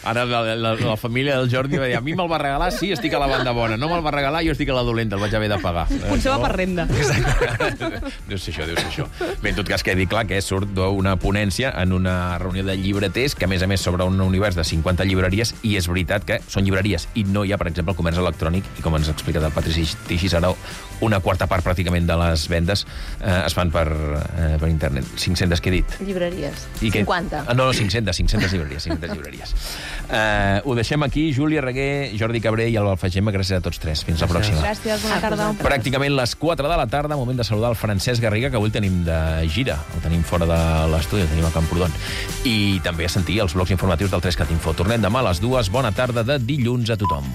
Ara la, la, la família del Jordi va dir, a mi me'l va regalar, sí, estic a la banda bona. No me'l va regalar, jo estic a la dolenta, el vaig haver de pagar. Potser va per renda. Deu ser això, deu ser això. Bé, en tot cas, quedi clar que surt d'una ponència en una reunió de llibreters, que a més a més sobre un univers de cinquanta llibreries, i és veritat que són llibreries, i no hi ha, per exemple, el comerç electrònic, i com ens ha explicat el Patrici Teixidó, una quarta part pràcticament de les vendes eh, es fan per, eh, per internet. cinc-centes, què he dit? Llibreries. I que... cinquanta. Ah, no, no, cinc-centes, cinc-centes llibreries. cinc-centes llibreries. Uh, ho deixem aquí. Júlia Reguer, Jordi Cabré i Alba Alfagema. Gràcies a tots tres. Fins la pròxima. Gràcies, bona tarda. Pràcticament les quatre de la tarda, moment de saludar el Francesc Garriga, que avui el tenim de gira. El tenim fora de l'estudi, el tenim a Camprodon. I també a sentir els blocs informatius del tres cat Info. Tornem demà a les dues. Bona tarda de dilluns a tothom.